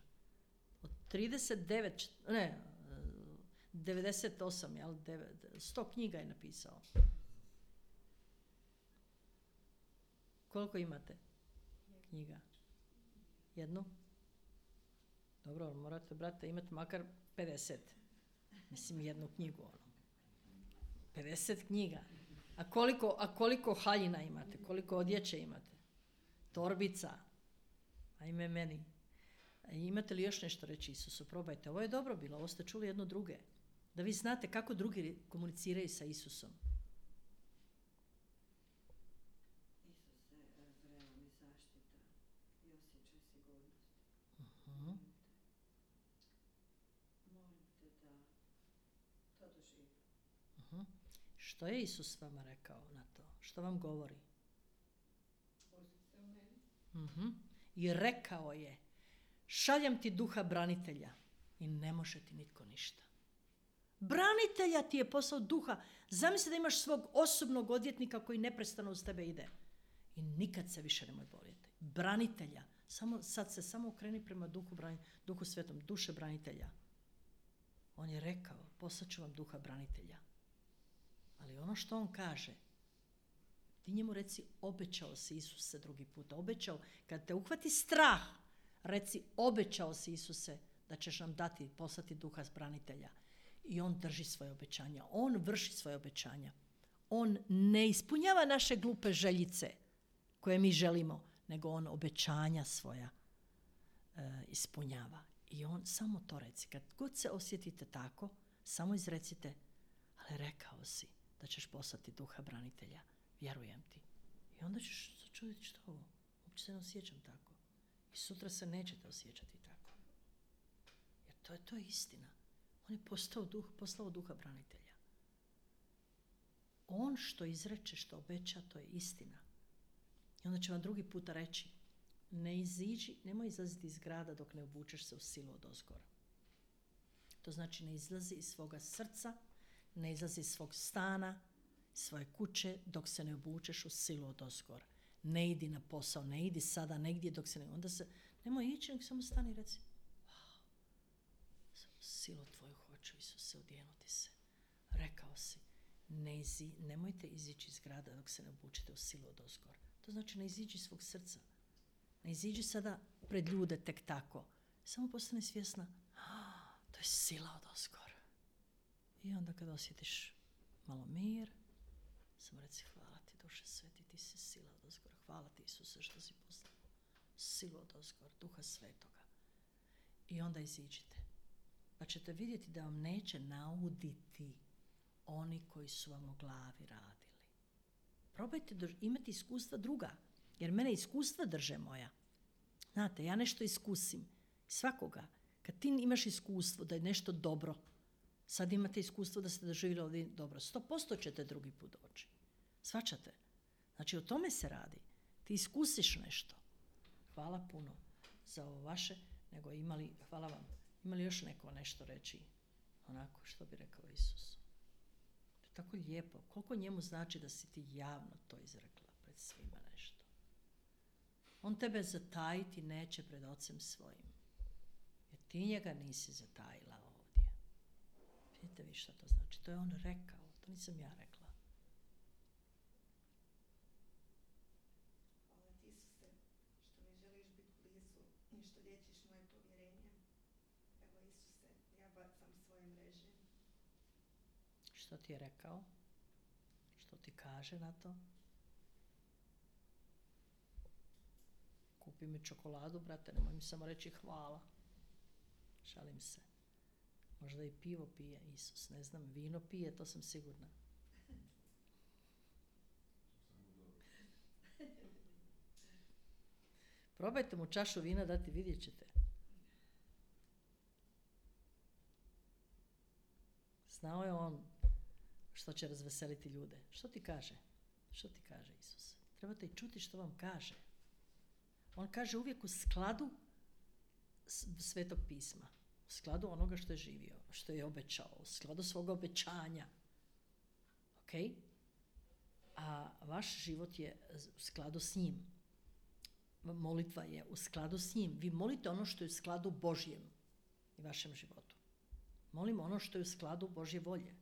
Od 98, jel, 100 knjiga je napisao. Koliko imate knjiga? Jednu? Dobro, morate, brate, imati makar 50. Mislim, jednu knjigu, 50 knjiga. A koliko haljina imate? Koliko odjeće imate? Torbica? Ajme meni. Imate li još nešto reći Isusu? Probajte. Ovo je dobro bilo. Ovo ste čuli jedno druge. Da vi znate kako drugi komuniciraju sa Isusom. Isuse, vrema mi zaštita i osjećaj sigurnosti. Molim te da to doživim. Što je Isus vama rekao na to? Što vam govori? Pustite u meni. I rekao je, šaljem ti duha branitelja i ne može ti nitko ništa. Branitelja ti je poslao duha. Zamisli da imaš svog osobnog odvjetnika koji neprestano uz tebe ide. I nikad se više nemoj boljeti. Branitelja. Sad se samo okreni prema duhu svetom, duše branitelja. On je rekao, poslaću vam duha branitelja. Ali ono što on kaže, ti njemu reci, obećao si Isuse drugi put. Obećao, kad te uhvati strah, reci, obećao si Isuse da ćeš nam dati, poslati duha branitelja. I on drži svoje obećanja. On vrši svoje obećanja. On ne ispunjava naše glupe željice koje mi želimo, nego on obećanja svoja ispunjava. I on samo to reci. Kad god se osjetite tako, samo izrecite, ali rekao si da ćeš poslati duha branitelja. Vjerujem ti. I onda ćeš se čuditi što ovo. Uopće se ne osjećam tako. I sutra se nećete osjećati tako. Jer to je istina. On je poslao duha branitelja. On što izreče, što obeća, to je istina. I onda će vam drugi puta reći, nemoj izlaziti iz grada dok ne obučeš se u silu odozgora. To znači ne izlazi iz svoga srca, ne izlazi iz svog stana, svoje kuće dok se ne obučeš u silu odozgora. Ne idi na posao, ne idi sada negdje dok se ne... Onda se, nemoj ići, nek samo stani i reci, silu tvoju hoću, Isuse, odjenuti se. Rekao si, nemojte izići iz grada dok se ne obučite u silu odozgor. To znači ne iziđi iz svog srca. Ne iziđi sada pred ljude tek tako. Samo postane svjesna, to je sila odozgor. I onda kad osjetiš malo mir, samo reci, hvala ti duše sveti, ti si sila odozgor. Hvala ti Isuse što si poslao silu odozgor, duha svetoga. I onda iziđite. Pa ćete vidjeti da vam neće nauditi oni koji su vam o glavi radili. Probajte imati iskustva druga, jer mene iskustva drže moja. Znate, ja nešto iskusim. Svakoga. Kad ti imaš iskustvo da je nešto dobro, sad imate iskustvo da ste doživjeli ovdje dobro, 100% ćete drugi put doći. Shvaćate? Znači, o tome se radi. Ti iskusiš nešto. Hvala puno za ovo vaše, nego hvala vam. Ima li još neko nešto reći? Onako, što bi rekao Isus? To je tako lijepo. Koliko njemu znači da si ti javno to izrekla pred svima nešto? On tebe zatajiti neće pred ocem svojim. Jer ti njega nisi zatajila ovdje. Vidite vi šta to znači? To je on rekao, to nisam ja rekla. Hvala ti, Isuse, što mi želiš biti blizu i što liječiš moje povjerenje. Evo, Isuse, ja bacam svoje mreže. Što ti je rekao? Što ti kaže na to? Kupi mi čokoladu, brate, nemoj mi samo reći hvala. Šalim se. Možda i pivo pije Isus, ne znam, vino pije, to sam sigurna. Probajte mu čašu vina dati, vidjet ćete. Znao je on što će razveseliti ljude. Što ti kaže? Što ti kaže Isus? Trebate i čuti što vam kaže. On kaže uvijek u skladu Svetog pisma. U skladu onoga što je živio, što je obećao, u skladu svog obećanja. Ok? A vaš život je u skladu s njim. Molitva je u skladu s njim. Vi molite ono što je u skladu Božjem i vašem životu. Molimo ono što je u skladu Božje volje.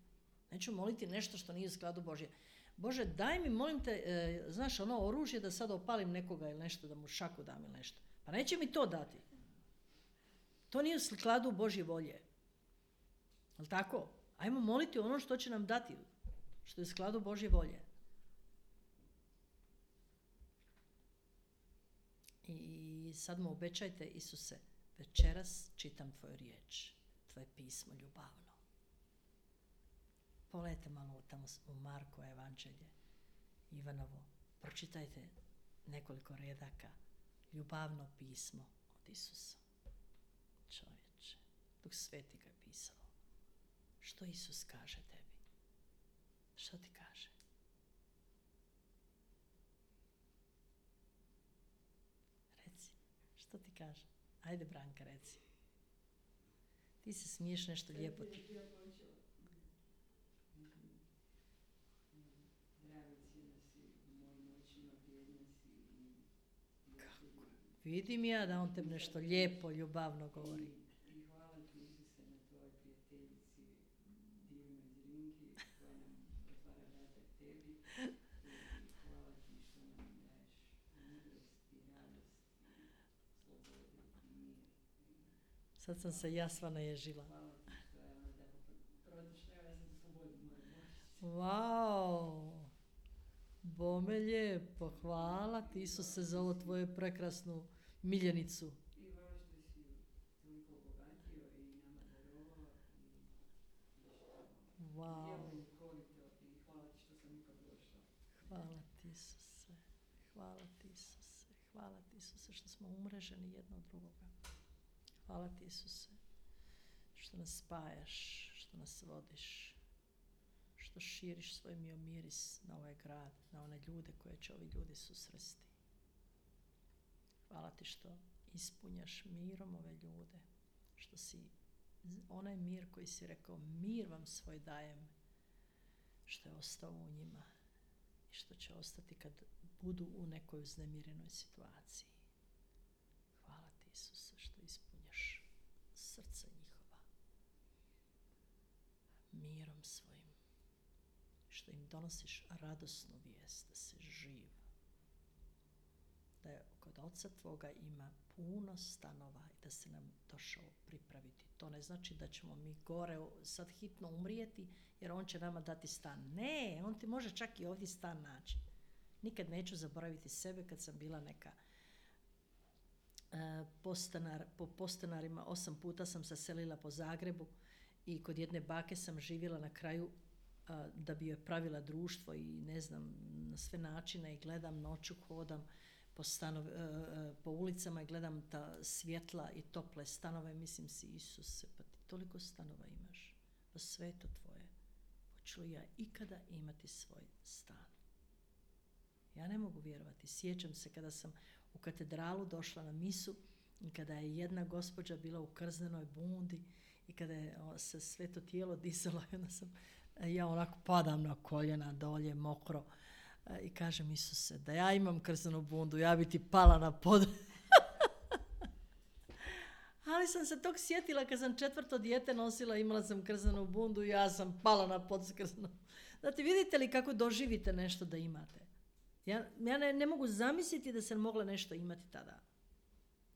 Neću moliti nešto što nije u skladu Božje. Bože, daj mi, molim te, znaš, ono oružje da sad opalim nekoga ili nešto, da mu šaku dam ili nešto. Pa neće mi to dati. To nije u skladu Božje volje. Jel' tako? Ajmo moliti ono što će nam dati, što je u skladu Božje volje. I sad mu obećajte, Isuse, večeras čitam tvoju riječ, tvoje pismo ljubavno. Pogledajte malo tamo u Marko evanđelje, Ivanovo, pročitajte nekoliko redaka, ljubavno pismo od Isusa. Čovječe, Duh Sveti ga je pisao. Što Isus kaže tebi? Što ti kaže? Reci, što ti kaže? Ajde, Branka, reci. Ti se smiješ, nešto lijepo ti. Vidim ja da on tebi nešto lijepo, ljubavno govori. I hvala ti, Isuse, na tvojoj prijateljici, divnoj Zrinki, koja nam otvara vrata k tebi. I hvala ti što nam daješ mudrost i radost i slobodu i mir. Sad sam se ja sva naježila. Hvala ti što je ona tako protišla, ja sam slobodu moju moći. Wow! Bome lijepo, hvala ti Isuse za ovo tvoju prekrasnu miljenicu. I hvala što si toliko obogatio i nama darovao i Wow! ljekovito i hvala ti što sam ipak došla. Hvala ti Isuse, hvala ti Isuse, hvala ti Isuse što smo umreženi jedno od drugoga. Hvala ti Isuse što nas spajaš, što nas vodiš, što širiš svoj miris na ovaj grad, na one ljude koje će ovi ljudi susresti. Hvala ti što ispunjaš mirom ove ljude, što si onaj mir koji si rekao, mir vam svoj dajem, što je ostao u njima i što će ostati kad budu u nekoj uznemirenoj situaciji. Hvala ti Isuse što ispunjaš srce njihova mirom svojim, što im donosiš radosnu vijest da si živ, da je kod Oca tvoga ima puno stanova i da se nam došao pripraviti. To ne znači da ćemo mi gore sad hitno umrijeti jer on će nama dati stan. Ne, on ti može čak i ovdje stan naći. Nikad neću zaboraviti sebe kad sam bila neka po postanarima, 8 puta sam se selila po Zagrebu i kod jedne bake sam živjela na kraju da bi joj pravila društvo i ne znam, na sve načine i gledam, noću hodam po ulicama i gledam ta svjetla i tople stanove, mislim si, Isuse, pa ti toliko stanova imaš, pa sve je to tvoje. Hoću li ja ikada imati svoj stan? Ja ne mogu vjerovati. Sjećam se kada sam u katedralu došla na misu i kada je jedna gospođa bila u krznenoj bundi i kada je se sve to tijelo disalo i onda sam, ja onako padam na koljena dolje, mokro, I kažem, Isuse, da ja imam krzanu bundu, ja bi ti pala na pod. Ali sam se tog sjetila kad sam 4. dijete nosila, imala sam krzanu bundu i ja sam pala na pod s krzanom. Znate, vidite li kako doživite nešto da imate? Ja ne mogu zamisliti da sam mogla nešto imati tada.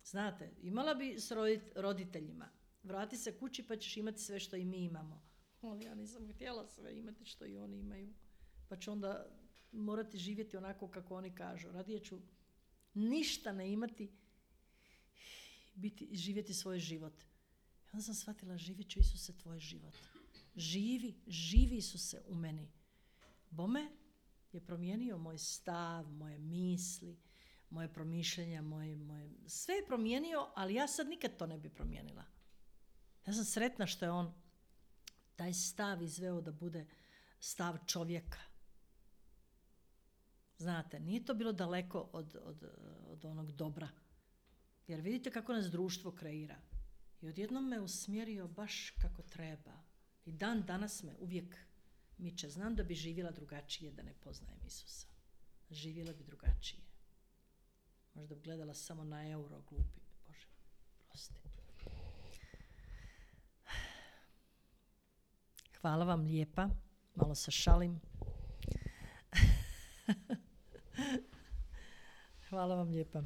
Znate, imala bi s roditeljima. Vrati se kući pa ćeš imati sve što i mi imamo. Ali ja nisam htjela sve imati što i oni imaju. Pa ću onda morati živjeti onako kako oni kažu. Radije ću ništa ne imati, živjeti svoj život. I onda sam shvatila, živjet ću, Isuse, tvoj život. Živi Isuse u meni. Bome je promijenio moj stav, moje misli, moje promišljenja, sve je promijenio, ali ja sad nikad to ne bi promijenila. Ja sam sretna što je on taj stav izveo da bude stav čovjeka. Znate, nije to bilo daleko od onog dobra. Jer vidite kako nas društvo kreira. I odjednom me usmjerio baš kako treba. I dan danas me uvijek miče. Znam da bi živjela drugačije da ne poznajem Isusa. Živjela bi drugačije. Možda bi gledala samo na euro, glupi. Bože, prosti. Hvala vam lijepa. Malo se šalim. Hvala vam lijepa.